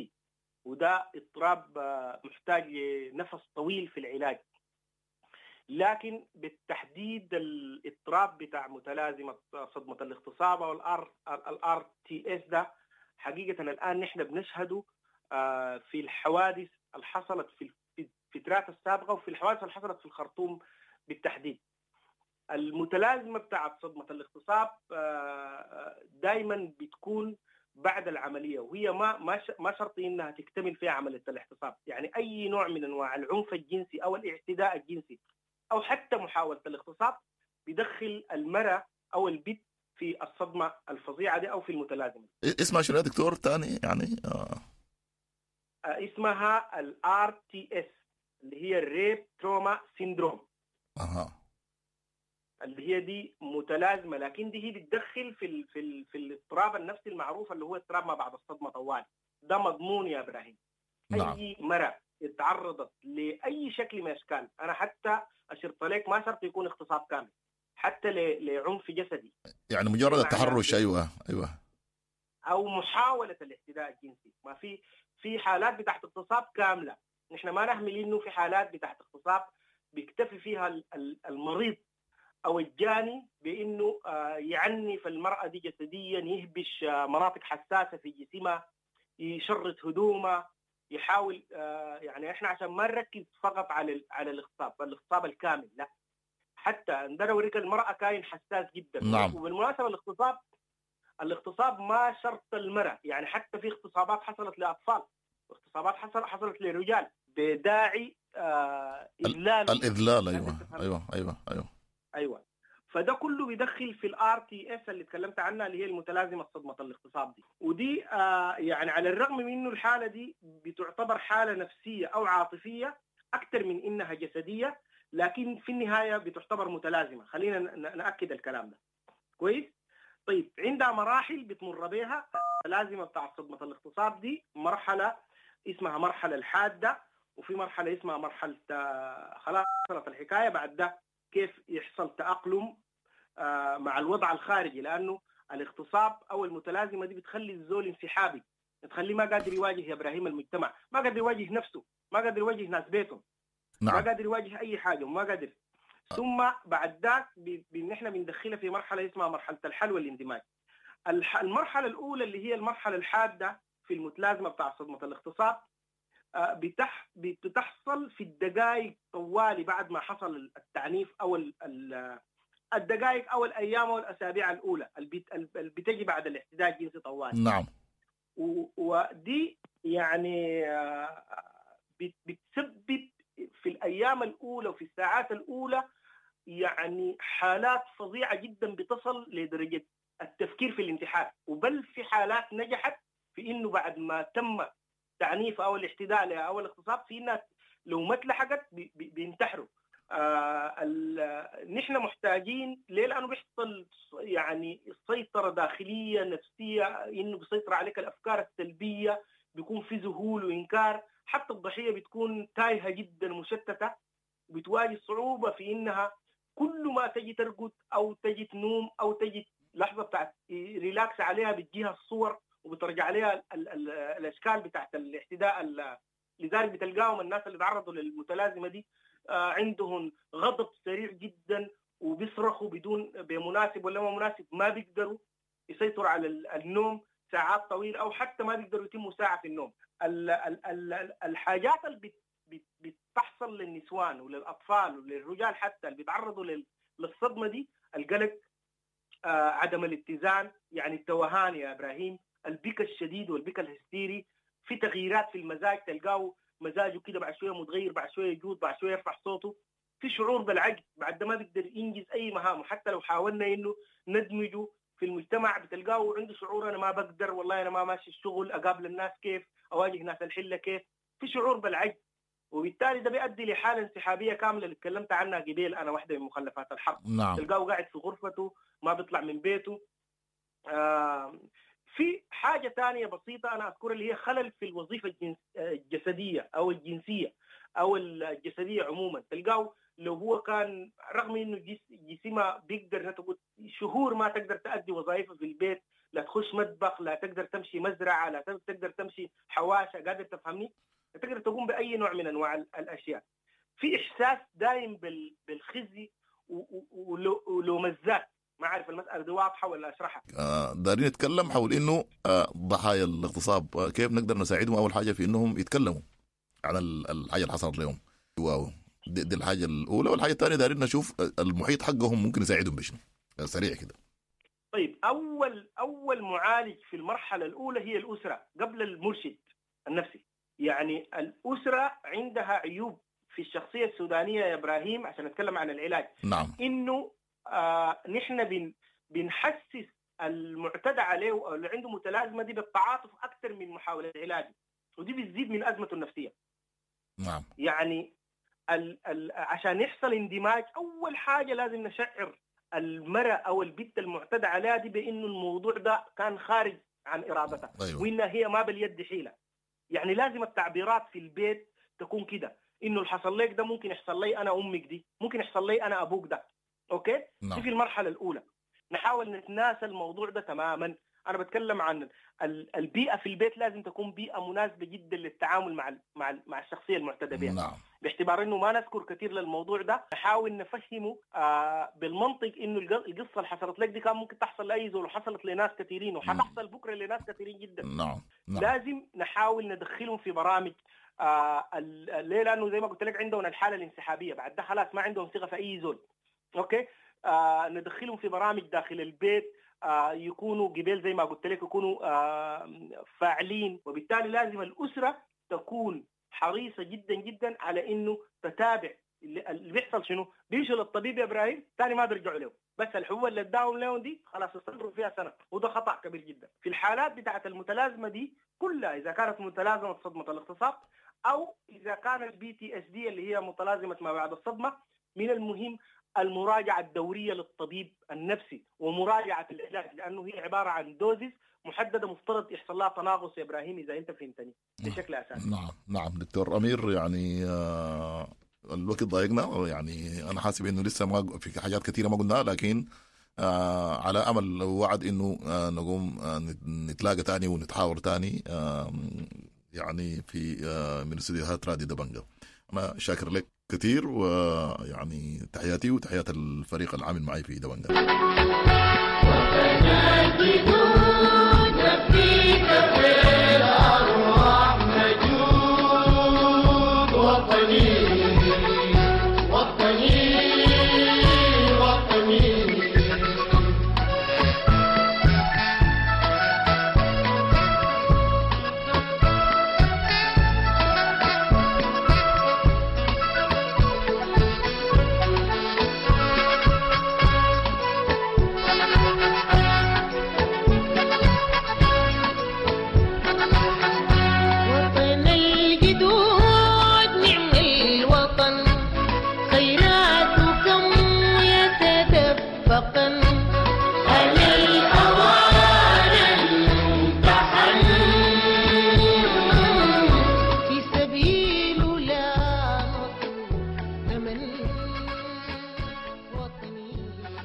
Speaker 16: وده اضطراب محتاج لنفس طويل في العلاج. لكن بالتحديد الاضطراب بتاع متلازمة صدمة الاغتصاب أو ال RTS ده حقيقة الآن نحن بنشهده في الحوادث اللي حصلت في الفترات السابقة وفي الحوادث اللي حصلت في الخرطوم بالتحديد. المتلازمة بتاعت صدمة الاغتصاب دائما بتكون بعد العملية، وهي ما ما ما شرط انها تكتمل فيها عملية الاغتصاب. يعني اي نوع من انواع العنف الجنسي او الاعتداء الجنسي او حتى محاولة الاغتصاب بيدخل المرأة او البنت في الصدمة الفظيعة دي او في المتلازمة.
Speaker 15: اسمها شنو يا دكتور تاني يعني؟ آه.
Speaker 16: اسمها ال RTS اللي هي ال rape trauma syndrome.
Speaker 15: اها،
Speaker 16: اللي هي دي متلازمة، لكن دي هي بتدخل في ال في ال في الاضطراب النفسي المعروف اللي هو اضطراب ما بعد الصدمة طوال. ده مضمون يا ابراهيم.
Speaker 15: نعم.
Speaker 16: اي مرأة اتعرضت لاي شكل من اشكال، انا حتى اشرت لك ما شرط يكون اغتصاب كامل، حتى لعنف جسدي،
Speaker 15: يعني مجرد التحرش. ايوه ايوه،
Speaker 16: او محاولة الاعتداء الجنسي. ما في في حالات بتاعت اغتصاب كاملة، نحن ما نهمل انه في حالات بتاعت اغتصاب بيكتفي فيها المريض او الجاني بانه يعنف المراة دي جسديا، يهبش مناطق حساسة في جسمها، يشرط هدومها، يحاول يعني احنا عشان ما نركز فقط على على الاغتصاب، الاغتصاب الكامل لا، حتى عندنا اوريك المراة كائن حساس جدا.
Speaker 15: نعم.
Speaker 16: وبالمناسبة الاغتصاب الاغتصاب ما شرط المراة، يعني حتى في اغتصابات حصلت لاطفال، اغتصابات حصل حصلت لرجال بداعي آه اذلال
Speaker 15: الاذلال. ايوه ايوه ايوه ايوه
Speaker 16: ايوه فده كله بيدخل في ال RTS اللي تكلمت عنها اللي هي المتلازمه صدمة الاغتصاب دي. ودي آه يعني على الرغم من انه الحالة دي بتعتبر حاله نفسية او عاطفية اكثر من انها جسدية، لكن في النهاية بتعتبر متلازمة. خلينا ناكد الكلام ده كويس. طيب عندها مراحل بتمر بها المتلازمه بتاع صدمة الاغتصاب دي، مرحلة اسمها مرحلة الحادة، وفي مرحلة اسمها مرحلة خلاص حصلت الحكاية، بعد ده كيف يحصل تأقلم مع الوضع الخارجي، لأنه الاغتصاب أو المتلازمة دي بتخلي الزول انسحابي، بتخليه ما قادر يواجه يا إبراهيم المجتمع، ما قادر يواجه نفسه، ما قادر يواجه ناس بيته،
Speaker 15: نعم.
Speaker 16: ما قادر يواجه أي حاجة وما قادر. ثم بعد ذاك نحن بندخلها في مرحلة اسمها مرحلة الحل والاندماج. المرحلة الأولى اللي هي المرحلة الحادة في المتلازمة بتاع صدمة الاغتصاب بتح بتحصل في الدقائق طوالي بعد ما حصل التعنيف او الدقائق او الايام او الاسابيع الاولى اللي بتجي بعد الاعتداء الجنسي طوالي.
Speaker 15: نعم.
Speaker 16: ودي يعني بتسبب في الايام الاولى وفي الساعات الاولى يعني حالات فظيعة جدا بتصل لدرجة التفكير في الانتحار، وبل في حالات نجحت في انه بعد ما تم التعنيف او الاعتداء او الاغتصاب في ناس لو ما اتلحقت بينتحروا. آه نحن محتاجين ليه؟ لانه بيحصل يعني سيطرة داخلية نفسية، انه بيسيطر عليك الافكار السلبية، بيكون في ذهول وانكار، حتى الضحية بتكون تايهه جدا مشتتة، بتواجه صعوبة في انها كل ما تجي ترقد او تجي تنوم او تجي لحظة بتاعت relax عليها بتجيها الصور وبترجع عليها ال ال الاشكال بتاعت الاعتداء. لذلك بتلقاهم الناس اللي تعرضوا للمتلازمه دي عندهم غضب سريع جدا وبيصرخوا بدون بمناسب ولا ما مناسب، ما بيقدروا يسيطروا على النوم ساعات طويلة او حتى ما بيقدروا يتموا ساعة في النوم. ال ال ال الحاجات اللي بتحصل للنسوان وللاطفال وللرجال حتى اللي بيتعرضوا للصدمه دي، القلق، عدم الاتزان، يعني التوهان يا ابراهيم، البكا الشديد والبكا الهستيري، في تغييرات في المزاج، تلقاه مزاجه كده بعد شوية متغير، بعد شوية يجود، بعد شوية يرفع صوته، في شعور بالعجز، بعد ما بيقدر ينجز اي مهامه، حتى لو حاولنا انه ندمجه في المجتمع بتلقاه عنده شعور انا ما بقدر، والله انا ما ماشي الشغل، اقابل الناس كيف، اواجه ناس الحلة كيف، في شعور بالعجز، وبالتالي ده بيؤدي لحاله انسحابيه كاملة اللي تكلمت عنها قبيل، انا واحدة من مخلفات الحرب.
Speaker 15: نعم.
Speaker 16: تلقاه قاعد في غرفته ما بيطلع من بيته. آه في حاجة ثانية بسيطة انا اذكرها اللي هي خلل في الوظيفة الجنس الجسدية او الجنسية او الجسدية عموما، تلقاه لو هو كان رغم انه جسمه بيقدر تقول شهور ما تقدر تؤدي وظائفه في البيت، لا تخش مطبخ، لا تقدر تمشي مزرعة، لا تقدر تمشي حواشه، قادر تفهمني؟ لا تقدر تقوم باي نوع من انواع الاشياء. في احساس دايم بالخزي ولوم الذات. ما اعرف المسالة دي واضحة ولا اشرحها؟
Speaker 15: آه دارين نتكلم حول انه آه ضحايا الاغتصاب آه كيف نقدر نساعدهم. اول حاجة في انهم يتكلموا عن الحاجة اللي حصلت لهم، واو دي, دي الحاجة الاولى. والحاجة الثانية دارين نشوف المحيط حقهم ممكن يساعدهم بشنو سريع كده.
Speaker 16: طيب اول اول معالج في المرحلة الاولى هي الاسرة قبل المرشد النفسي. يعني الاسرة عندها عيوب في الشخصية السودانية يا ابراهيم، عشان نتكلم عن العلاج.
Speaker 15: نعم.
Speaker 16: انه آه نحن بن بنحسس المعتدى عليه او اللي عنده متلازمة دي بالتعاطف اكثر من محاولة علاجه، ودي بتزيد من ازمته النفسية.
Speaker 15: نعم.
Speaker 16: يعني ال ال عشان يحصل اندماج اول حاجة لازم نشعر المرأة او البنت المعتدى عليها دي بانه الموضوع ده كان خارج عن ارادتها.
Speaker 15: أيوة.
Speaker 16: وانها هي ما باليد حيله. يعني لازم التعبيرات في البيت تكون كده، انه اللي حصل لك ده ممكن يحصل لي انا امك دي، ممكن يحصل لي انا ابوك ده. okay؟
Speaker 15: نعم.
Speaker 16: دي في المرحلة الاولى نحاول نتناسى الموضوع ده تماما. انا بتكلم عن البيئة في البيت، لازم تكون بيئة مناسبة جدا للتعامل مع مع مع الشخصية المعتدى بها.
Speaker 15: نعم.
Speaker 16: باعتبار انه ما نذكر كثير للموضوع ده، نحاول نفهمه آه بالمنطق انه القصة اللي حصلت لك دي كان ممكن تحصل لاي زول، وحصلت لناس كثيرين، وحتحصل بكره لناس كثيرين جدا.
Speaker 15: نعم. نعم.
Speaker 16: لازم نحاول ندخلهم في برامج آه ليه؟ لانه زي ما قلت لك عندهم الحالة الانسحابيه، بعد ده خلاص ما عندهم ثقة في اي زول. okay، آه ندخلهم في برامج داخل البيت، آه يكونوا قبل زي ما قلت لك يكونوا آه فاعلين. وبالتالي لازم الاسرة تكون حريصة جدا جدا على انه تتابع اللي بيحصل شنو. بيمشوا للطبيب يا ابراهيم ثاني ما بيرجعوا له، بس الحبوب اللي اداهم لهم دي خلاص استمروا فيها سنة، وده خطا كبير جدا. في الحالات بتاعه المتلازمه دي كلها، اذا كانت متلازمة صدمة الاغتصاب او اذا كان ال PTSD اللي هي متلازمة ما بعد الصدمة، من المهم المراجعة الدورية للطبيب النفسي ومراجعة العلاج، لانه هي عبارة عن doses محددة مفترض يحصل لها تناقص يا ابراهيم اذا انت فهمتني بشكل اساسي.
Speaker 15: نعم نعم دكتور امير، يعني آه الوقت ضايقنا، يعني انا حاسب انه لسه ما في حاجات كثيرة ما قلناها، لكن آه على امل وعد انه آه نقوم آه نتلاقى تاني ونتحاور تاني آه يعني في آه من استديوهات راديو دبنجة. انا شاكر لك كثير، ويعني تحياتي وتحيات الفريق العامل معي في دبنجة.
Speaker 17: خيراتكم يتدفق.